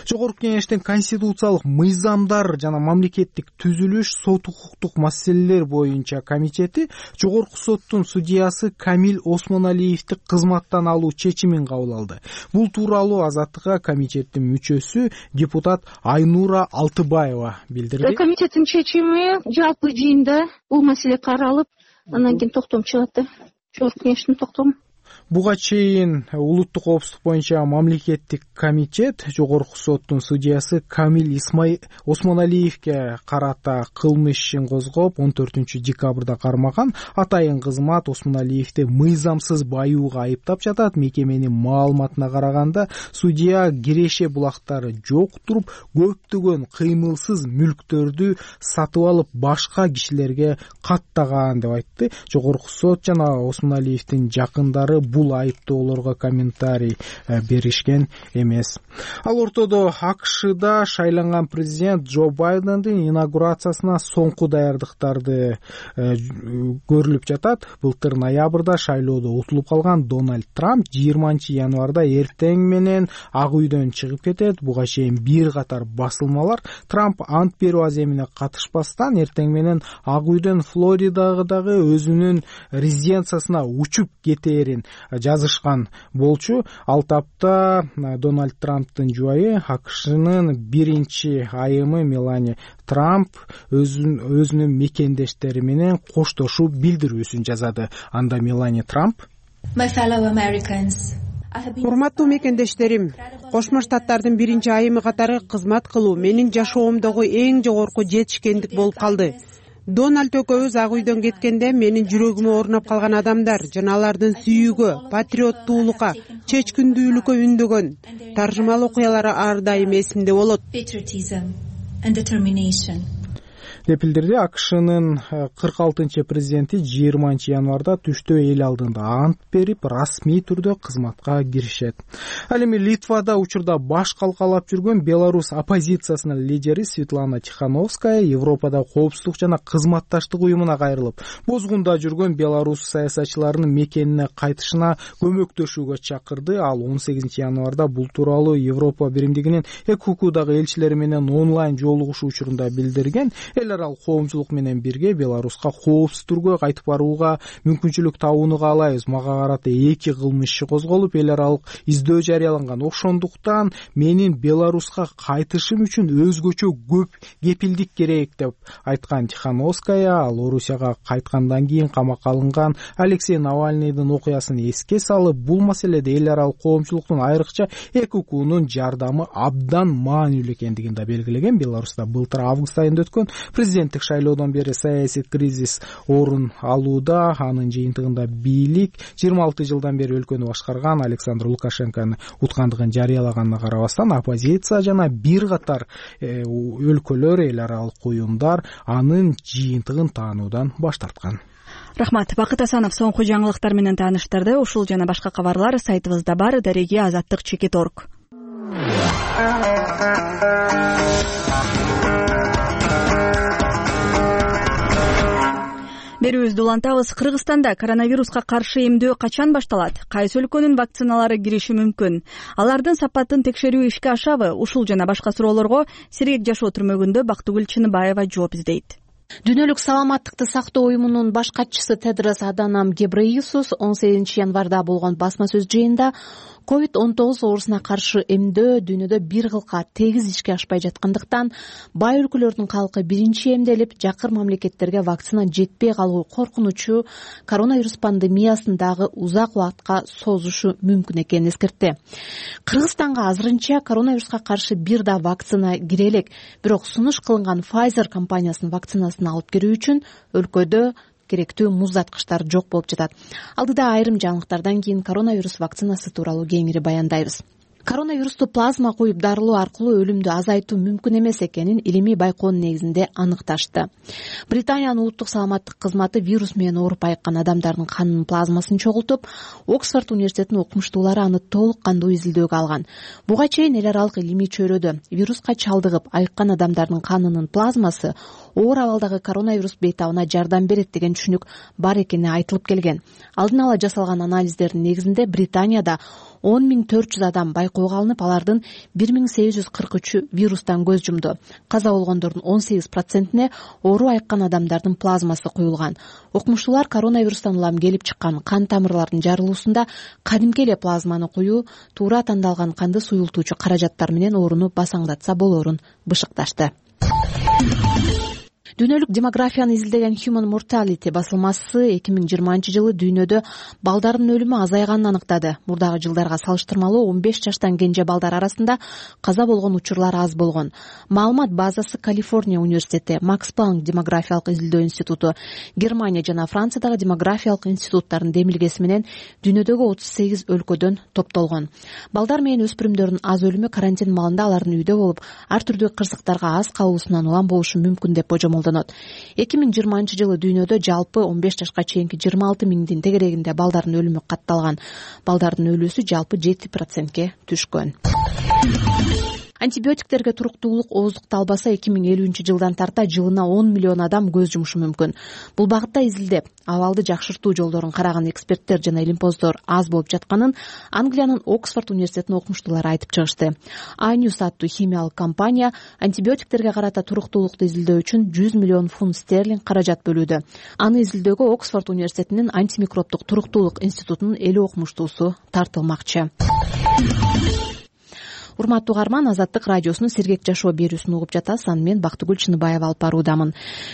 Жогорку кеңештин конституциялык мыйзамдар жана мамлекеттик түзүлүш, сот укуктук маселелер боюнча комитети жогорку соттун судьясы Камил Осмоналиевди кызматтан алуу чечимин кабыл алды. Бул тууралуу Азаттыкка комитеттин мүчөсү депутат Айнура Алтыбаева билдирди. Комитеттин чечими жалпы жыйында бул маселе каралып, андан кийин токтом чыгат да. Жогорку кеңештин токтому. Буга чейин улуттук коопсуздук боюнча мамлекеттик комитет жогорку соттун судьясы Камил Исмай Осмоналиевге карата кылмыш ишин козгоп, он төртүнчү декабрда кармаган. Атайын кызмат Осмоналиевди мыйзамсыз баюуга айыптап жатат. Мекеменин маалыматына караганда, судья киреше булактары жок туруп, көптөгөн кыймылсыз мүлктөрдү сатып алып, башка кишилерге каттаган деп айтты. Жогорку сот жана Осмоналиевдин жакындары бул айыптоолорго комментарий беришкен эмес. Ал ортодо АКШда шайланган президент Джо Байдендин инаугурациясына соңку даярдыктарды көрүлүп жатат. Былтыр ноябрда шайлоодо утулуп калган Дональд Трамп жыйырманчы январда эртең менен Ак үйдөн чыгып кетет. Буга чейин бир катар басылмалар Трамп ант берүү аземине катышпастан эртең менен Ак үйдөн Флоридагы өзүнүн резиденциясына учуп кетээрин жазышкан болчу. Ал тапта Дональд Трамптын жубайы АКШнын биринчи айымы Мелания Трамп өзүнүн мекендештери менен коштошуу билдирүүсүн жазады. Анда Мелания Трамп: урматтуу мекендештерим, Кошмо Штаттардын биринчи айымы катары кызмат кылуу менин жашоомдогу эң жогорку жетишкендик болуп калды. Дональд экөөбүз Ак үйдөн кеткенде менин жүрөгүмө орноп калган адамдар жана алардын сүйүүгө, патриоттуулукка, чечкиндүүлүккө үндөгөн таржымал окуялары ар дайым эсимде болот. деп билдирди. АКШнын кырк алтынчы президенти жыйырманчы январда түштө эл алдында ант берип, расмий түрдө кызматка киришет. Ал эми Литвада учурда баш калкалап жүргөн Беларусь оппозициясынын лидери Светлана Тихановская Европада коопсуздук жана кызматташтык уюмуна кайрылып, бозгунда жүргөн Беларусь саясатчыларынын мекенине кайтышына көмөктөшүүгө чакырды. Ал он сегизинчи январда бул тууралуу Европа биримдигинин Экукудагы элчилери менен онлайн жолугушуу учурунда билдирген. Эл аралык коомчулук менен бирге Беларуска коопсуз түргө кайтып барууга мүмкүнчүлүк табууну каалайбыз. Мага карата эки кылмыш иши козголуп, эл аралык издөө жарыяланган. Ошондуктан менин Беларуска кайтышым үчүн өзгөчө көп кепилдик керек деп айткан Тихановская. Ал Орусияга кайткандан кийин камакка алынган Алексей Навальныйдын окуясын эске салып, бул маселеде эл аралык коомчулуктун айрыкча Экукунун жардамы абдан маанилүү экендигин да белгилеген. Беларуста былтыр август айында өткөн президенттик шайлоодон бери саясий кризис орун алууда. Анын жыйынтыгында бийлик жыйырма алты жылдан бери өлкөнү башкарган Александр Лукашенконун уткандыгын жарыялаганына карабастан, оппозиция жана бир катар өлкөлөр, эл аралык уюмдар анын жыйынтыгын таануудан баш тарткан. Рахмат. Бакыт Асанов соңку жаңылыктар менен тааныштырды. Ушул жана башка кабарлар сайтыбызда бар. Дареги азаттык чекит точка орг. Берүүбүздү улантабыз. Кыргызстанда коронавируска каршы эмдөө качан башталат? Кайсы өлкөнүн вакциналары кириши мүмкүн? Алардын сапатын текшерүү ишке ашабы? Ушул жана башка суроолорго Сергек жашоо түрмөгүндө Бактыгүл Чыныбаева жооп издейт. Дүйнөлүк саламаттыкты сактоо уюмунун баш катчысы Тедрос Аданом Гебрейесус он сегизинчи январда болгон басма сөз жыйында ковид он тогуз оорусуна каршы эмдөө дүйнөдө бир кылка тегиз ишке ашпай жаткандыктан бай өлкөлөрдүн калкы биринчи эмделип, жакыр мамлекеттерге вакцина жетпей калуу коркунучу коронавирус пандемиясын дагы узак убакытка созушу мүмкүн экенин эскертти. Кыргызстанга азырынча коронавируска каршы бир да вакцина кире элек, бирок сунуш кылынган Pfizer компаниясынын вакцинасын алып кирүү үчүн өлкөдө керектүү муздаткычтар жок болуп жатат. Алдыда айрым жаңылыктардан кийин коронавирус вакцинасы тууралуу кеңири баяндайбыз. Коронавирусту плазма куюп дарылоо аркылуу өлүмдү азайтуу мүмкүн эмес экенин илимий байкоонун негизинде аныкташты. Британиянын улуттук саламаттык кызматы вирус менен ооруп айыккан адамдардын канынын плазмасын чогултуп, Оксфорд университетинин окумуштуулары аны толук кандуу изилдөөгө алган. Буга чейин эл аралык илимий чөйрөдө вируска чалдыгып айыккан адамдардын канынын плазмасы оор абалдагы коронавирус бейтабына жардам берет деген түшүнүк бар экени айтылып келген. Алдын ала жасалган анализдердин негизинде Британияда он миң төрт жүз адам байкоого алынып, алардын бир миң сегиз жүз кырк үчү вирустан көз жумду. Каза болгондордун он сегиз процентине оору айыккан адамдардын плазмасы куюлган. Окумуштуулар коронавирустан улам келип чыккан кан тамырлардын жарылуусунда кадимки эле плазманы куюу туура тандалган канды суюлтуучу каражаттар менен ооруну басаңдатса болоорун бышыкташты. Дүйнөлүк демографияны изилдеген Human Mortality басылмасы эки миң жыйырманчы жылы дүйнөдө балдардын өлүмү азайганын аныктады. Мурдагы жылдарга салыштырмалуу он беш жаштан кенже балдар арасында каза болгон учурлар аз болгон. Маалымат базасы Калифорния университети, Макс Планк демографиялык изилдөө институту, Германия жана Франциядагы демографиялык институттардын демилгеси менен дүйнөдөгү отуз сегиз өлкөдөн топтолгон. Балдар менен өспүрүмдөрдүн аз өлүмү карантин маалында алардын үйдө болуп, ар түрдүү кырсыктарга аз калуусунан улам болушу мүмкүн деп божомолдонот. эки миң жыйырманчы жылы дүйнөдө жалпы он беш жашка чейинки жыйырма алты миңдин тегерегинде балдардын өлүмү катталган. Балдардын өлүүсү жалпы жети процентке түшкөн. антибиотиктерге туруктуулук ооздукталбаса эки миң элүүнчү жылдан тарта жылына он миллион адам көз жумушу мүмкүн. Бул багытта изилдеп, абалды жакшыртуу жолдорун караган эксперттер жана илимпоздор аз болуп жатканын Англиянын Оксфорд университетинин окумуштуулары айтып чыгышты. Айнюс аттуу химиялык компания антибиотиктерге карата туруктуулукту изилдөө үчүн жүз миллион фунт стерлинг каражат бөлүүдө. Аны изилдөөгө Оксфорд университетинин антимикробдук туруктуулук институтунун элүү окумуштуусу тартылмакчы. Урматтуу угарман, Азаттык радиосунун Сергек жашоо берүүсүн угуп жатасыз. Аны мен Бактыгүл Чыныбаева алып баруудамын.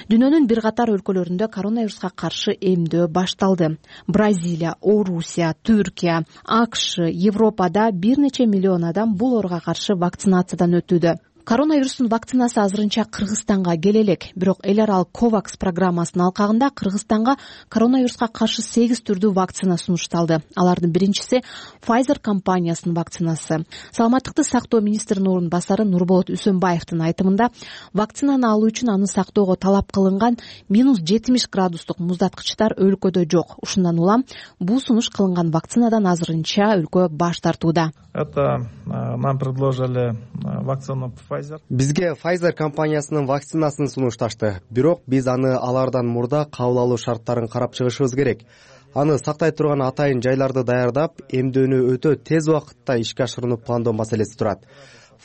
Дүйнөнүн бир катар өлкөлөрүндө коронавируска каршы эмдөө башталды. Бразилия, Орусия, Түркия, АКШ, Европада бир нече миллион адам бул ооруга каршы вакцинациядан өтүүдө. Коронавирустун вакцинасы азырынча Кыргызстанга келе элек, бирок эл аралык ковакс программасынын алкагында Кыргызстанга коронавируска каршы сегиз түрдүү вакцина сунушталды. Алардын биринчиси Pfizer компаниясынын вакцинасы. Саламаттыкты сактоо министринин орун басары Нурболот Үсөнбаевдин айтымында, вакцинаны алуу үчүн аны сактоого талап кылынган минус жетимиш градустук муздаткычтар өлкөдө жок. Ушундан улам бул сунуш кылынган вакцинадан азырынча өлкө баш тартууда. Это нам предложили вакцину Pfizer. Бизге Pfizer компаниясынын вакцинасын сунушташты. Бирок биз аны алардан мурда кабыл алуу шарттарын карап чыгышыбыз керек. Аны сактай турган атайын жайларды даярдап, эмдөөнү өтө тез убакытта ишке ашырууну пландоо маселеси турат.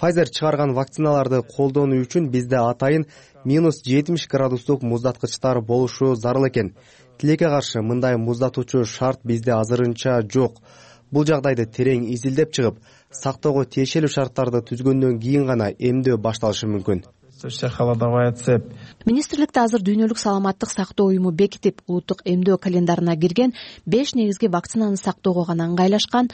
Pfizer чыгарган вакциналарды колдонуу үчүн бизде атайын минус жетимиш градустук муздаткычтар болушу зарыл экен. Тилекке каршы мындай муздатуучу шарт бизде азырынча жок. Бул жагдайды терең изилдеп чыгып, сактоого тиешелүү шарттарды түзгөндөн кийин гана эмдөө башталышы мүмкүн. Министрликте азыр дүйнөлүк саламаттык сактоо уюму бекитип, улуттук эмдөө календарына кирген беш негизги вакцинаны сактоого гана ыңгайлашкан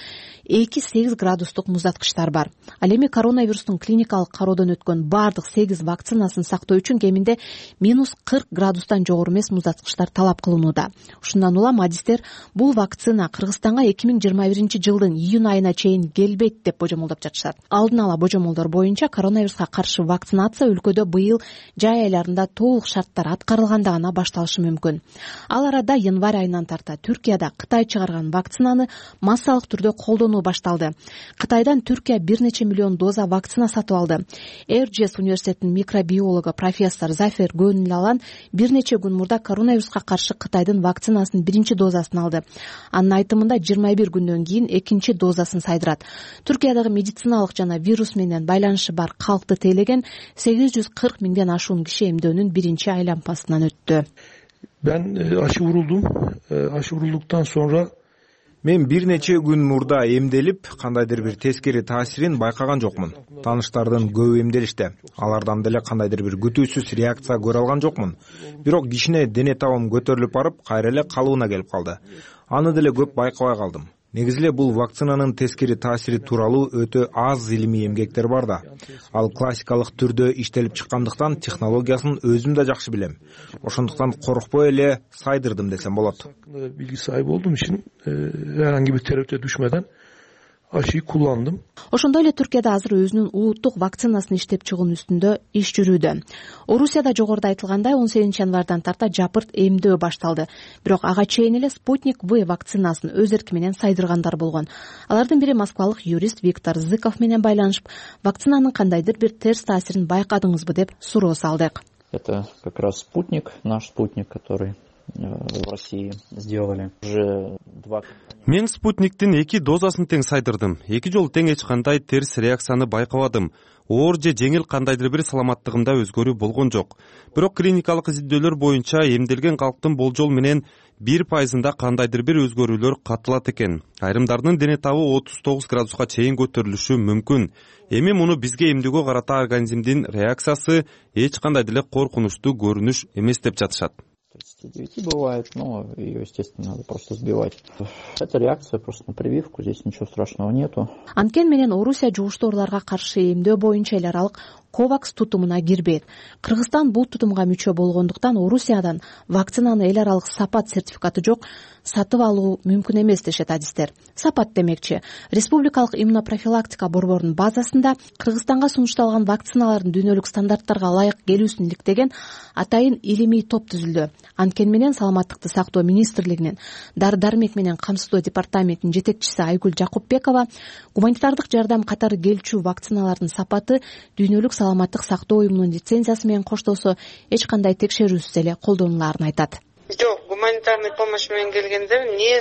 эки сегиз градустук муздаткычтар бар. Ал эми коронавирустун клиникалык кароодон өткөн бардык сегиз вакцинасын сактоо үчүн кеминде минус кырк градустан жогору эмес муздаткычтар талап кылынууда. Ушундан улам адистер бул вакцина Кыргызстанга эки миң жыйырма биринчи жылдын июнь айына чейин келбейт деп божомолдоп жатышат. Алдын ала божомолдор боюнча коронавируска каршы вакцинация өлкөдө быйыл жай айларында толук шарттар аткарылганда гана башталышы мүмкүн. Ал арада январь айынан тарта Түркияда Кытай чыгарган вакцинаны массалык түрдө колдонуу башталды. Кытайдан Түркия бир нече миллион доза вакцина сатып алды. Эрджес университетинин микробиологу профессор Зафер Гөнлалан бир нече күн мурда коронавируска каршы Кытайдын вакцинасынын биринчи дозасын алды. Анын айтымында жыйырма бир күндөн кийин экинчи дозасын сайдырат. Түркиядагы медициналык жана вирус менен байланышы бар калкты тейлеген сегиз жүз кырк миңден ашуун киши эмдөөнүн биринчи айланпасынан өттү. Ben aşı vuruldum. Aşı vurulduktan sonra мен бир нече күн мурда эмделип, кандайдыр бир тескери таасирин байкаган жокмун. Тааныштардын көбү эмделишти. Алардан деле кандайдыр бир күтүүсүз реакция көрө алган жокмун. Бирок кичине дене табым көтөрүлүп барып, кайра эле калыбына келип калды. Аны деле көп байкабай калдым. Негизи эле бул вакцинанын тескери таасири тууралуу өтө аз илимий эмгектер бар да. Ал классикалык түрдө иштелип чыккандыктан технологиясын өзүм да жакшы билем. Ошондуктан коркпой эле сайдырдым десем болот. Bilgi sahibi olduğum için herhangi bir tereddüte düşmeden aşıyı kullandım. Ошондой эле Түркияда азыр өзүнүн улуттук вакцинасын иштеп чыгуунун үстүндө иш жүрүүдө. Орусияда жогоруда айтылгандай он сегизинчи январдан тарта жапырт эмдөө башталды. Бирок ага чейин эле Спутник В вакцинасын өз эрки менен сайдыргандар болгон. Алардын бири москвалык юрист Виктор Зыков менен байланышып, вакцинанын кандайдыр бир терс таасирин байкадыңызбы деп суроо салдык. Это как раз Спутник, наш Спутник, который в России сделали уже два. Мен Спутниктин эки дозасын тең сайдырдым. Эки жолу тең эч кандай терс реакцияны байкабадым. Оор же жеңил кандайдыр бир саламаттыгымда өзгөрүү болгон жок. Бирок клиникалык изилдөөлөр боюнча эмделген калктын болжол менен бир пайызында кандайдыр бир өзгөрүүлөр катылат экен. Айрымдардын дене табы отуз тогуз градуска чейин көтөрүлүшү мүмкүн. Эми муну бизге эмдөөгө карата организмдин реакциясы эч кандай деле коркунучтуу көрүнүш эмес деп жатышат. девять бывает, но ее, естественно, надо просто сбивать. Это реакция просто на прививку, здесь ничего страшного нету. Анткени менен Орусия жугуштуу ооруларга каршы эмдөө боюнча эл аралык ковакс тутумуна кирбейт. Кыргызстан бул тутумга мүчө болгондуктан Орусиядан вакцинаны эл аралык сапат сертификаты жок сатып алуу мүмкүн эмес дешет адистер. Сапат демекчи, республикалык иммунопрофилактика борборунун базасында Кыргызстанга сунушталган вакциналардын дүйнөлүк стандарттарга ылайык келүүсүн иликтеген атайын илимий топ түзүлдү. Анткени менен Саламаттыкты сактоо министрлигинин дары дармек менен камсыздоо департаментинин жетекчиси Айгүл Жакупбекова гуманитардык жардам катары келчү вакциналардын сапаты дүйнөлүк саламаттык сактоо уюмунун лицензиясы менен коштолсо эч кандай текшерүүсүз эле колдонулаарын айтат. Жок, гуманитарный помощь менен келгенде не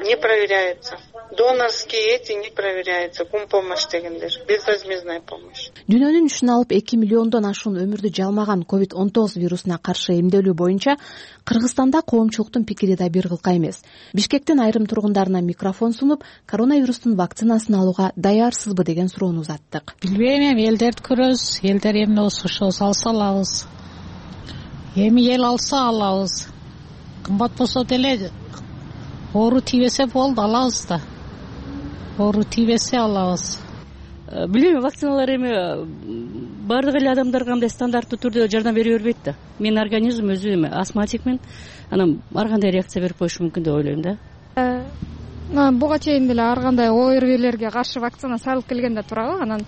не проверяется. Донорские эти не проверяются. Гумпомощь дегендер, безвозмездная помощь. Дүйнөнүн үчүн алып эки миллиондон ашуун өмүрдү жалмаган ковид он тогуз вирусуна каршы эмделүү боюнча Кыргызстанда коомчулуктун пикири да бир кылка эмес. Бишкектин айрым тургундарына микрофон сунуп, коронавирустун вакцинасын алууга даярсызбы деген суроону узаттык. Билбейм, элдерди көрөбүз, элдер эмне болсо алса алабыз. Эми эл алса алабыз. Кымбат болсо деле оору тийбесе болду, алабыз да. Оору тийбесе алабыз. Билбейм, вакциналар эми баардык эле адамдарга андай стандарттуу түрдө жардам бере бербейт да. Менин организм өзү эми астматикмин, анан ар кандай реакция берип коюшу мүмкүн деп ойлойм да. Буга чейин деле ар кандай ОРВилерге каршы вакцина салып келгенде турабы, анан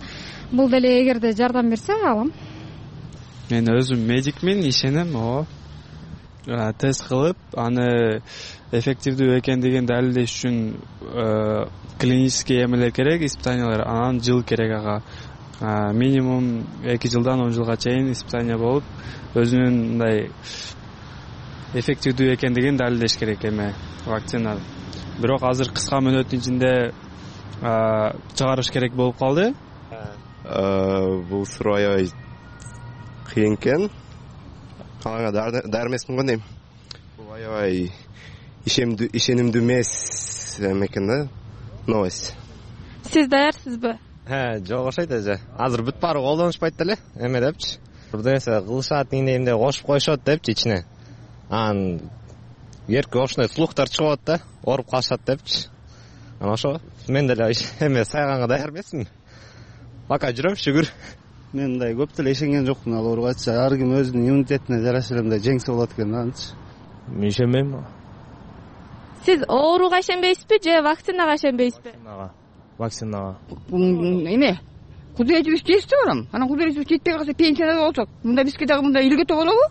бул деле эгерде жардам берсе алам. Мен өзүм медикмин, ишенем, о. Тест кылып, аны эффективдүү экендигин далилдеш үчүн клинический эмелер керек, испытаниялар, анан жыл керек ага. Минимум эки жылдан он жылга чейин испытания болуп, өзүнүн мындай эффективдүү экендигин далилдеш керек эме вакцина. Бирок азыр кыска мөөнөттүн ичинде чыгарыш керек болуп калды. Бул суроо аябай кыйын экен. Калаңа даяр эмесмин го дейм. Бул аябай ишенимдүү эмес экен да. Новость. Сиз даярсызбы? He, жок окшойт эже. Азыр бүт баары колдонушпайт деле. Эме депчи. Бирде нерсе кылышат дегенде кошуп коюшат депчи ичине. Анан эрке ошондой слухтар чыгып атат да, ооруп калышат депчи. Анан ошо мен деле эме сайганга даяр эмесмин. Пока жүрөм, шүгүр. Мен мындай көп деле ишенген жокмун ал ооругачы. Ар ким өзүнүн иммунитетине жараша эле мындай жеңсе болот экен да анчы. Мен ишенбейм. Сиз ооруга ишенбейсизби же вакцинага ишенбейсизби? Вакцинага. Эме, кудуретибиз жетти барам. Анан кудуретибиз жетпей калса пенсияда болсок, мында бизге дагы мында илгөтө болобу?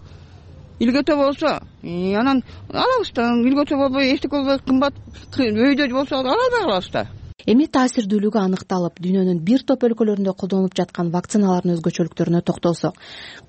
Илгөтө болсо, анан алабыз да, илгөтө болбой, эчтеке болбой, кымбат өйдө болсо ала албай калабыз да. Эми таасирдүүлүгү аныкталып, дүйнөнүн бир топ өлкөлөрүндө колдонулуп жаткан вакциналардын өзгөчөлүктөрүнө токтолсок,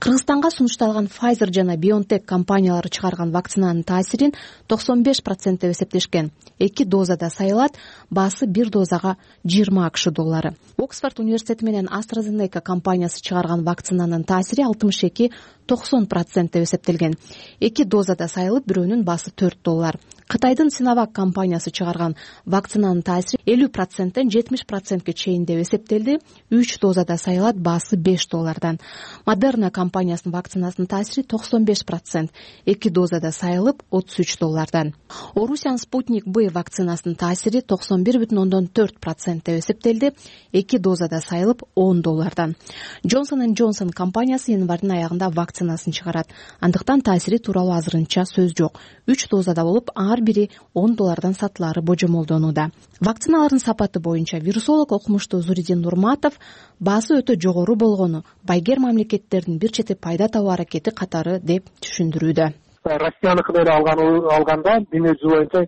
Кыргызстанга сунушталган Pfizer жана BioNTech компаниялары чыгарган вакцинанын таасирин токсон беш процент деп эсептешкен. Эки дозада сайылат, баасы бир дозага жыйырма акш доллары. Оксфорд университети менен AstraZeneca компаниясы чыгарган вакцинанын таасири алтымыш эки токсон процент деп эсептелген. Эки дозада сайылып, бирөөнүн баасы төрт доллар. Кытайдын Sinovac компаниясы чыгарган вакцинанын таасири элүү проценттен жетимиш процентке чейин деп эсептелди. Үч дозада сайылат, баасы беш доллардан. Moderna компаниясынын вакцинасынын таасири токсон беш процент, эки дозада сайылып, отуз үч доллардан. Орусиянын Sputnik B вакцинасынын таасири токсон бир бүтүн ондон төрт процент деп эсептелди, эки дозада сайылып, он доллардан. Johnson and Johnson компаниясы январдын аягында вакцинасын чыгарат. Андыктан таасири тууралуу азырынча сөз жок. Үч дозада болуп, ар бири он доллардан сатылары божомолдонууда. Вакциналардын сапаты боюнча вирусолог окумуштуу Зуридин Нурматов баасы өтө жогору болгону байгер мамлекеттердин бир чети пайда табуу аракети катары деп түшүндүрүүдө. Россияныкын эле алганда дүйнө жүзү боюнча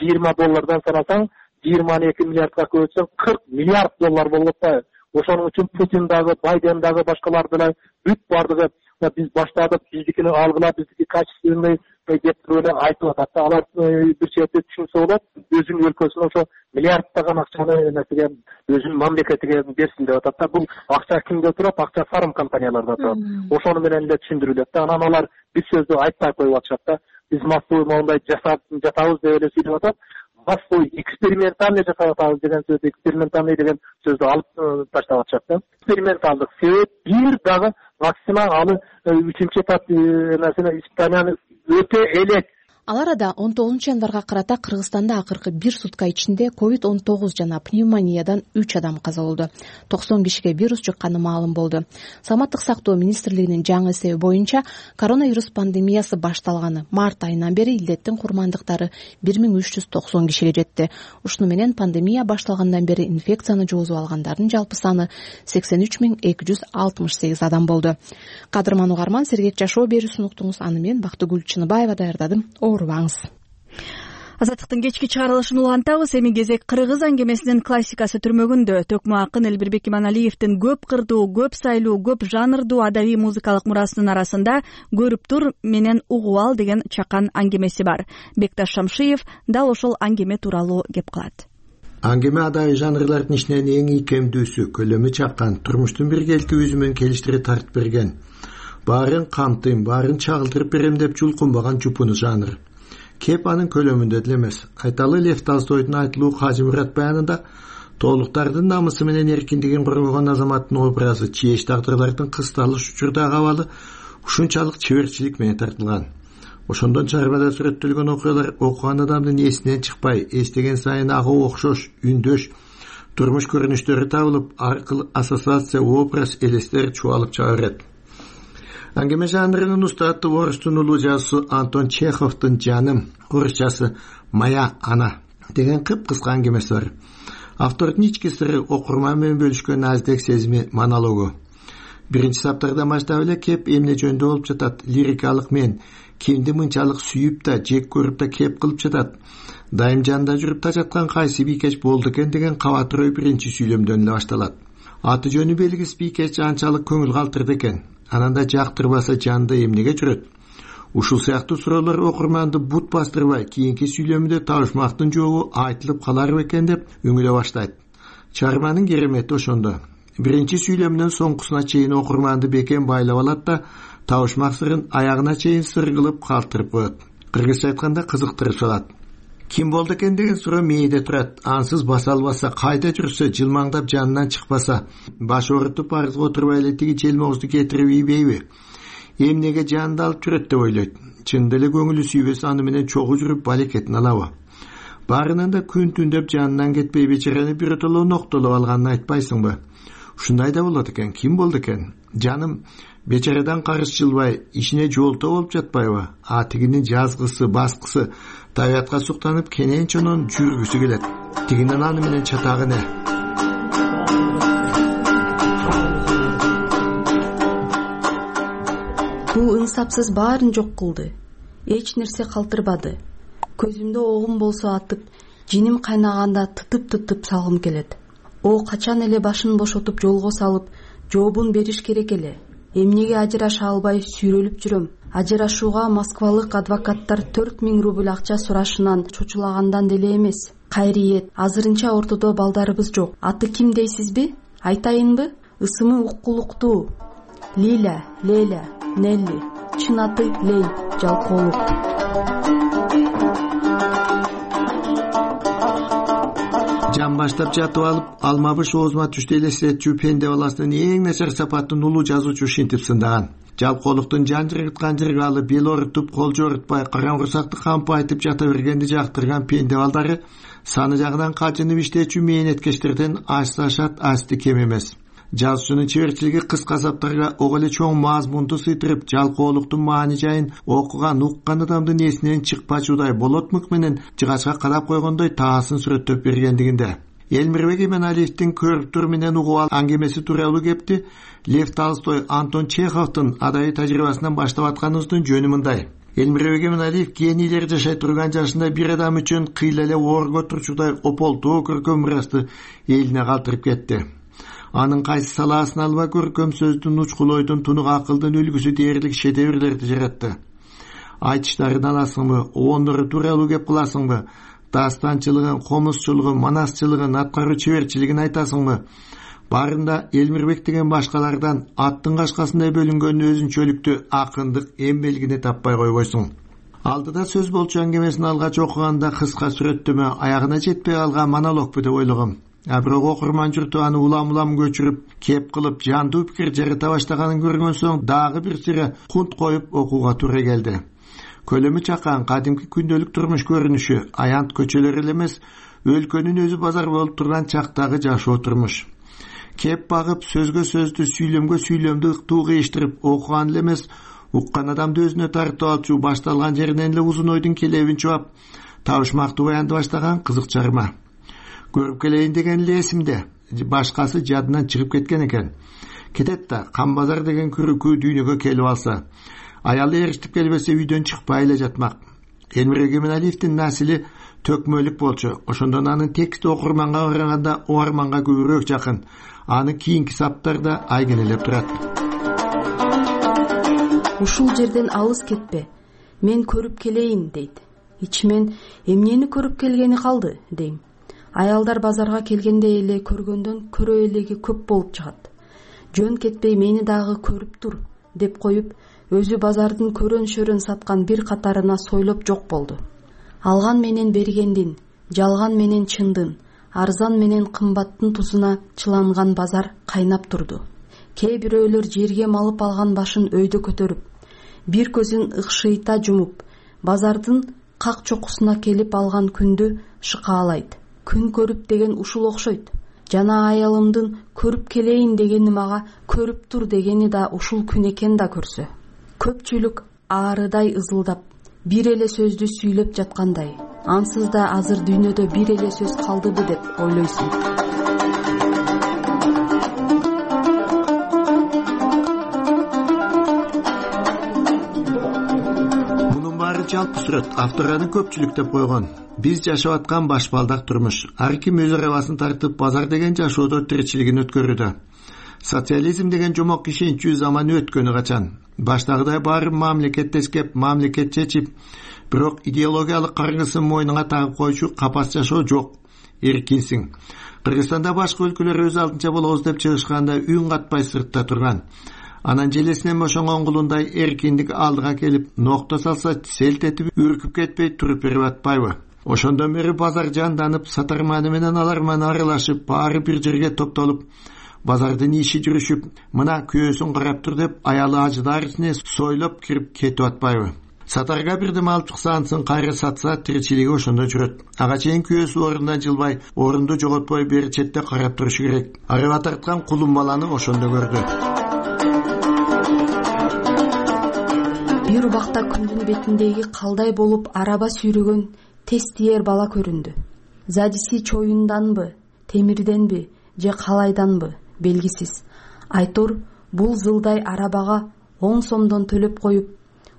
жыйырма доллардан санасаң, жыйырма эки миллиардга көбөйтсөң кырк миллиард доллар болуп атпайбы? Ошонун үчүн Путин дагы, Байден дагы, башкалар деле бүт бардыгы биз баштадык, биздикини алгыла, биздики качественный деп туруп эле айтып атат да. Алар бир чети түшүнсө болот, өзүнүн өлкөсүнө ошо миллиарддаган акчаны эмесиге, өзүнүн мамлекетиге берсин деп атат да. Бул акча кимде турат? Акча фарм компанияларда турат. Ошону менен эле түшүндүрүлөт да. Анан алар бир сөздү айтпай коюп атышат да. Биз массовый моундай жасап жатабыз деп эле сүйлөп атат. Массовый экспериментальный жасап атабыз деген сөздү, экспериментальный деген сөздү алып таштап атышат да. Эксперименталдык себеп бир дагы вакцина аны үчүнчү этап нерсени испытанияны өтө элек Ал арада он тогузунчу январга карата Кыргызстанда акыркы бир сутка ичинде ковид он тогуз жана пневмониядан үч адам каза болду. токсон кишиге вирус жукканы маалым болду. Саламаттык сактоо министрлигинин жаңы эсеби боюнча коронавирус пандемиясы башталганы март айынан бери илдеттин курмандыктары бир миң үч жүз токсон кишиге жетти. Ушуну менен пандемия башталгандан бери инфекцияны жоозуп алгандардын жалпы саны сексен үч миң эки жүз алтымыш сегиз адам болду. Кадырман угарман, сергек жашоо берүүсүн уктуңуз. Аны мен Бактыгүл Чыныбаева даярдадым. Оорубаңыз. Азаттыктын кечки чыгарылышын улантабыз. Эми кезек кыргыз аңгемесинин классикасы түрмөгүндө. Төкмө акын Элбирбек Иманалиевдин көп кырдуу, көп сайлуу, көп жанрдуу адабий музыкалык мурасынын арасында көрүп тур менен угуп ал деген чакан аңгемеси бар. Бекташ Шамшиев дал ошол аңгеме тууралуу кеп кылат. Аңгеме адабий жанрлардын ичинен эң ийкемдүүсү, көлөмү чакан, турмуштун биргеликти өзү менен келиштире тартып берген. Баарын камтыйм, баарын чагылтырып берем деп жулкунбаган жупуну жанр. Кеп анын көлөмүндө деле эмес. Айталы Лев Толстойдун айтылуу Кажы Мурат баянында тоолуктардын намысы менен эркиндигин коргогон азаматтын образы чийеш тагдырлардын кысталыш учурдагы абалы ушунчалык чеберчилик менен тартылган. Ошондон чарбада сүрөттөлгөн окуялар окуган адамдын эсинен чыкпай, эстеген сайын ага окшош, үндөш, турмуш көрүнүштөрү табылып, аркылуу ассоциация, образ, элестер чубалып чыга берет. Аңгеме жанрынын устаты орустун улуу жазуусу Антон Чеховдун «Жаным», орусчасы «Моя ана» деген кып-кыска аңгемеси бар. Автордун ички сыры окурман менен бөлүшкөн наздек сезими монологу. Биринчи саптардан баштап эле Кеп эмне жөнүндө болуп жатат, лирикалык мен кимди мынчалык сүйүп да, жек көрүп да кеп кылып жатат, дайым жанында жүрүп да жаткан кайсы бийкеч болду экен деген кабатыр ой биринчи сүйлөмдөн эле башталат. Аты жөнү белгисиз бийкеч анчалык көңүл калтырды экен. Анан да жактырбаса жанды эмнеге жүрөт? Ушул сыяктуу суроолор окурманды бут бастырбай, кийинки сүйлөмүндө табышмактын жообу айтылып калар бекен деп үңүлө баштайт. Чыгарманын керемети ошондо. Биринчи сүйлөмүнөн соңкусуна чейин окурманды бекем байлап алат да табышмак сырын аягына чейин сыр кылып калтырып коет. Кыргызча айтканда кызыктырып салат. Ким болду экен деген суроо мээде турат. Ансыз баса албаса, кайда жүрсө, жылмаңдап жанынан чыкпаса, баш оорутуп арызга отурбай эле тиги желмоозду кетирип ийбейби? Эмнеге жанды алып жүрөт деп ойлойт. Чындап эле көңүлү сүйбөсө аны менен чогуу жүрүп балекетин алабы? Баарынан да күн түндөп жанынан кетпей бечараны биротоло ноктолоп алганын айтпайсыңбы? Ушундай да болот экен. Ким болду экен? Жаным бечарадан карыз жылбай, ишине жолто болуп жатпайбы? А тигинин жазгысы, баскысы табиятка суктанып кенен чонон жүргүсү келет. Тигинин аны менен чатагы не? Бул ыңсапсыз баарын жок кылды. Эч нерсе калтырбады. Көзүмдө огум болсо атып, жиним кайнаганда тытып-тытып салгым келет. О качан эле башын бошотуп жолго салып, жообун бериш керек эле. Эмнеге ажыраша албай сүйрөлүп жүрөм? Ажырашууга москвалык адвокаттар төрт миң рубль акча сурашынан чочулагандан деле эмес. Кайриет, азырынча ортодо балдарыбыз жок. Аты ким дейсизби? Айтайынбы? Ысымы уккулуктуу. Лиля, Леля, Нелли. Чын аты Лей Жалкоолук. Жан баштап жатып алып, алмабыш оозума түштү элестетчү пенде баласынын эң начар сапатын улуу жазуучу ушинтип сындаган. Жалкоолуктун жан жыргыткан жыргалы, бел орутуп, кол жорутпай, караңгырсакты кампы айтып жата бергенди жактырган пенде балдары саны жагынан качынып иштечү мээнеткечтерден асты ашат, асты кем эмес. Жазуучунун чеберчилиги кыска саптарга ого эле чоң мазмунду сыйдырып, жалкоолуктун маани жайын окуган, уккан адамдын эсинен чыкпачудай болот мык менен жыгачка кадап койгондой таасын сүрөттөп бергендигинде. Элмирбек Иманалиевдин көрүп тур менен угуп ал аңгемеси тууралуу кепти Лев Толстой, Антон Чеховдун адабий тажрыйбасынан баштап атканыбыздын жөнү мындай. Элмирбек Иманалиев генийлер жашай турган жашында бир адам үчүн кыйла эле оорго турчудай ополтуу көркөм мурасты элине калтырып кетти. Анын кайсы салаасын алба көркөм сөздүн, учкул ойдун, тунук акылдын үлгүсү дээрлик шедеврлерди жаратты. Айтыштарын аласыңбы, оондору тууралуу кеп кыласыңбы, дастанчылыгын, комузчулугун, манасчылыгын, аткаруу чеберчилигин айтасыңбы? Баарында Элмирбек деген башкалардан аттын кашкасындай бөлүнгөн өзүнчөлүктүү акындык эм белгини таппай койбойсуң. Алдыда сөз болчу аңгемесин алгач окуганда кыска сүрөттөмө аягына жетпей калган монологбу деп ойлогом. А бирок окурман журту аны улам-улам көчүрүп, кеп кылып, жандуу пикир жарата баштаганын көргөн соң дагы бир сыйра кунт коюп окууга туура келди. көлөмү чакан кадимки күндөлүк турмуш көрүнүшү аянт көчөлөр эле эмес, өлкөнүн өзү базар болуп турган чактагы жашоо турмуш. Кеп багып, сөзгө сөздү, сүйлөмгө сүйлөмдү ыктуу кыйыштырып окуган эле эмес, уккан адамды өзүнө тартып алчу, башталган жеринен эле узун ойдун келебин чубап, табышмактуу баянды баштаган кызык чарма. Көрүп келейин деген эле эсимде, башкасы жадынан чыгып кеткен экен. Кетет да, Камбазар деген күрүкү дүйнөгө келип алса, аялы эриштип келбесе үйдөн чыкпай эле жатмак. Элмир Эгеменалиевдин насили төкмөлүк болчу. Ошондон анын тексти окурманга караганда угарманга көбүрөөк жакын. Аны кийинки саптарда айгинелеп турат. Ушул жерден алыс кетпе, мен көрүп келейин дейт. Ичимен эмнени көрүп келгени калды дейм. Аялдар базарга келгенде эле көргөндөн көрө элеги көп болуп чыгат. Жөн кетпей мени дагы көрүп тур деп коюп, өзү базардын көрөн-шөрөн саткан бир катарына сойлоп жок болду. Алган менен бергендин, жалган менен чындын, арзан менен кымбаттын тузуна чыланган базар кайнап турду. Кээ бирөөлөр жерге малып алган башын өйдө көтөрүп, бир көзүн ыкшыйта жумуп, базардын как чокусуна келип алган күндү шыкаалайт. Күн көрүп деген ушул окшойт. Жана аялымдын көрүп келейин дегени мага көрүп тур дегени да ушул күн экен да көрсө. Көпчүлүк аарыдай ызылдап, бир эле сөздү сүйлөп жаткандай. Ансыз да азыр дүйнөдө бир эле сөз калдыбы деп ойлойсуң. Мунун баары жалпы сүрөт, автор аны көпчүлүк деп койгон. Биз жашап аткан башбалдак турмуш. Ар ким өз арабасын тартып, базар деген жашоодо тиричилигин өткөрүүдө. Социализм деген жомок ишенчүү заманы өткөнү качан. Баштагыдай баары мамлекеттеш кеп, мамлекет чечип, бирок идеологиялык каргысын мойнуңа тагып койчу капас жашоо жок. Эркинсиң. Кыргызстанда башка өлкөлөр өз алдынча болобуз деп чыгышканда үн катпай сыртта турган. Анан желесинен бошонгон кулундай эркиндик алдыга келип, нокто салса селт этип, үркүп кетпей туруп берип атпайбы? Ошондон бери базар жанданып, сатарманы менен аларманы аралашып, баары бир жерге топтолуп, базардын иши жүрүшүп, мына күйөөсүн карап тур деп аялы ажыдарысыне сойлоп кирип кетип атпайбы? Сатарга бирдеме алып чыкса, ансын кайра сатса, тиричилиги ошондо жүрөт. Ага чейин күйөөсү орундан жылбай, орунду жоготпой бери четте карап турушу керек. Арыба тарткан кулун баланы ошондо көрдү. Бир убакта күндүн бетиндеги калдай болуп араба сүйрөгөн тез тиер бала көрүндү. Задиси чоюнданбы, темирденби, же калайданбы белгисиз. Айтор бул зылдай арабага он сомдон төлөп коюп,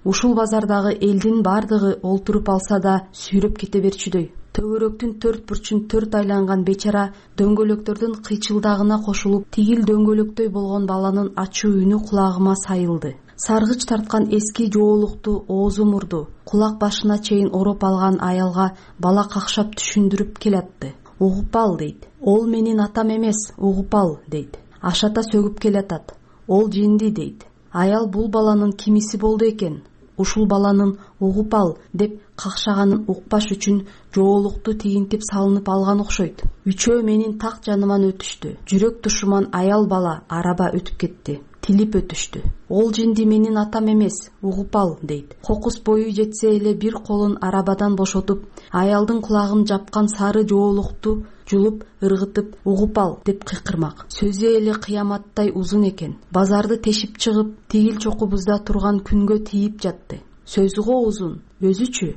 ушул базардагы элдин бардыгы олтуруп алса да сүйрөп кете берчүдөй. Төгөрөктүн төрт бурчун төрт айланган бечара дөңгөлөктөрдүн кыйчылдагына кошулуп, тигил дөңгөлөктөй болгон баланын ачуу үнү кулагыма сайылды. Саргыч тарткан эски жоолукту оозу мурду, кулак башына чейин ороп алган аялга бала какшап түшүндүрүп келатты. Угуп ал дейт. Ол менин атам эмес, угуп ал дейт. Ашата сөгүп келатат. Ол жинди дейт. Аял бул баланын кимиси болду экен? Ушул баланын угуп ал деп какшаганын укпаш үчүн жоолукту тигинтип салынып алган окшойт. Үчөө менин так жаныман өтүштү. Жүрөк тушуман аял бала араба өтүп кетти. Тилип өтүштү. Ол жинди менин атам эмес, угуп ал дейт. Кокус бою жетсе эле бир колун арабадан бошотуп, аялдын кулагын жапкан сары жоолукту жулуп, ыргытып, угуп ал деп кыйкырмак. Сөзү эле кыяматтай узун экен. Базарды тешип чыгып, тигил чокубузда турган күнгө тийип жатты. Сөзү го узун, өзүчү.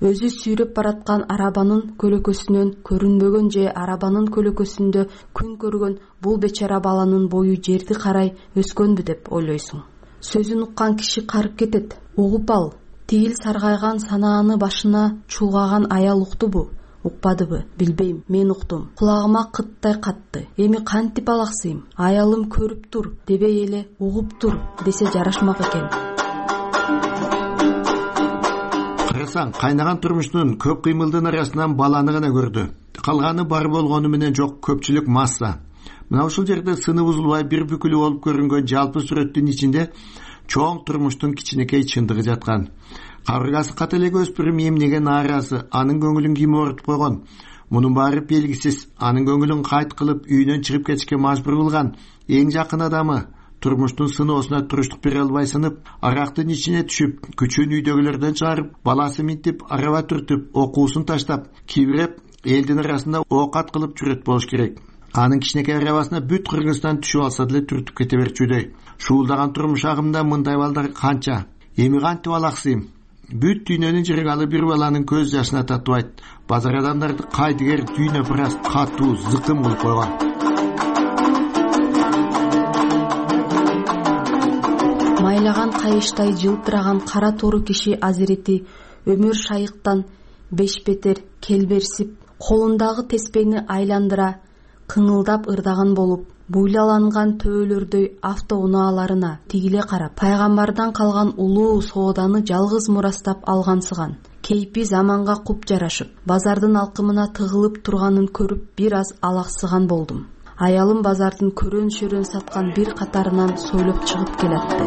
Өзү сүйрөп бараткан арабанын көлөкөсүнөн көрүнбөгөн же арабанын көлөкөсүндө күн көргөн бул бечара баланын бою жерди карай өскөнбү деп ойлойсуң. Сөзүн уккан киши карып кетет. Угуп ал. Тигил саргайган санааны башына чулгаган аял уктубу? Укпадыбы? Билбейм, мен уктум. Кулагыма кыттай катты. Эми кантип алаксыйм? Аялым көрүп тур, дебей эле угуп тур десе жарашмак экен. Карасаң, кайнаган турмуштун көп кыймылдын арасынан баланы гана көрдү. Калганы бар болгону менен жок, көпчүлүк масса. Мына ушул жерде сыны бузулбай бир бүкүлү болуп көрүнгөн жалпы сүрөттүн ичинде чоң турмуштун кичинекей чындыгы жаткан. Кабыргасы ката эле өспүрүм эмнеге нааразы, анын көңүлүн ким оорутуп койгон? Мунун баары белгисиз. Анын көңүлүн кайт кылып үйүнөн чыгып кетишке мажбур кылган эң жакын адамы турмуштун сыноосуна туруштук бере албай сынып, арактын ичине түшүп, күчүн үйдөгүлөрдөн чыгарып, баласы минтип, араба түртүп, окуусун таштап, кийбиреп элдин арасында оокат кылып жүрөт болуш керек. Анын кичинекей арабасына бүт Кыргызстан түшүп алса деле түртүп кете берчүдөй. Шуулдаган турмуш агымында мындай балдар канча? Эми кантип алаксыйм? Бүт дүйнөнүн жыргалы бир баланын көз жашына татыбайт. Базар адамдарды кайдыгер дүйнө бир аз катуу, зыкым кылып койгон. Майлаган кайыштай жылтыраган кара тору киши азирети өмүр шайыктан бешбетер келберсип, колундагы теспени айландыра кыңылдап ырдаган болуп, буйлаланган төөлөрдөй автоунааларына тигиле карап, пайгамбардан калган улуу сооданы жалгыз мурастап алгансыган. Кейпи заманга куп жарашып, базардын алкымына тыгылып турганын көрүп бир аз алаксыган болдум. Аялым базардын көрөн-шөрөн саткан бир катарынан сойлоп чыгып келатты.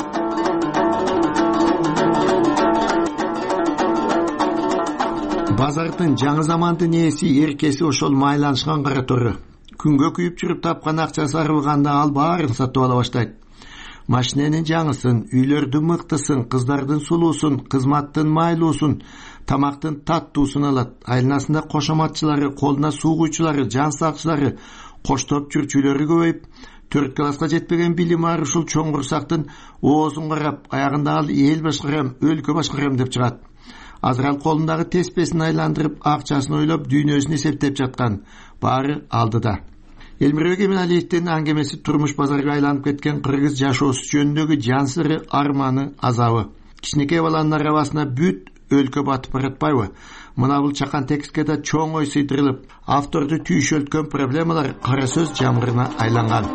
Базардын жаңы замандын ээси эркеси ошол майланышкан кара тору. Күнгө күйүп жүрүп тапкан акчасы арылганда ал баарын сатып ала баштайт. Машиненин жаңысын, үйлөрдүн мыктысын, кыздардын сулуусун, кызматтын майлуусун, тамактын таттуусун алат. Айланасында кошоматчылары, колуна суу куйчулары, жан сакчылары, коштоп жүрчүлөрү көбөйүп, төрт класска жетпеген билим ар ушул чоң курсактын оозун карап, аягында ал эл башкарам, өлкө башкарам деп чыгат. Азырал колундагы теспесин айландырып, акчасын ойлоп, дүйнөсүн эсептеп жаткан. Баары алдыда. Элмирбек Эминалиевдин аңгемеси турмуш базарга айланып кеткен кыргыз жашоосу жөнүндөгү жан сыры, арманы, азабы. Кичинекей баланын арабасына бүт өлкө батып баратпайбы? Мына бул чакан текстке да чоң ой сыйдырылып, авторду түйшөлткөн проблемалар кара сөз жамгырына айланган.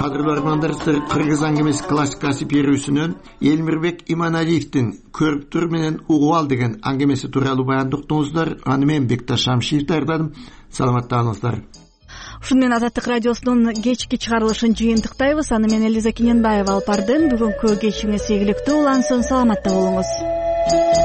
Кадырлуу армандарыбыздар, Кыргыз аңгемеси классикасы берүүсүнөн Элмирбек Иманалиевдин көрүп тур менен угуп ал деген аңгемеси тууралуу баянды уктуңуздар. Аны мен Бекташ Шамшиев даярдадым. Саламаттаңыздар. Ушуну менен Азаттык радиосунун кечки чыгарылышын жыйынтыктайбыз. Аны мен Элиза Кененбаева алып бардым. Бүгүнкү кечиңиз ийгиликтүү улансын. Саламатта болуңуз.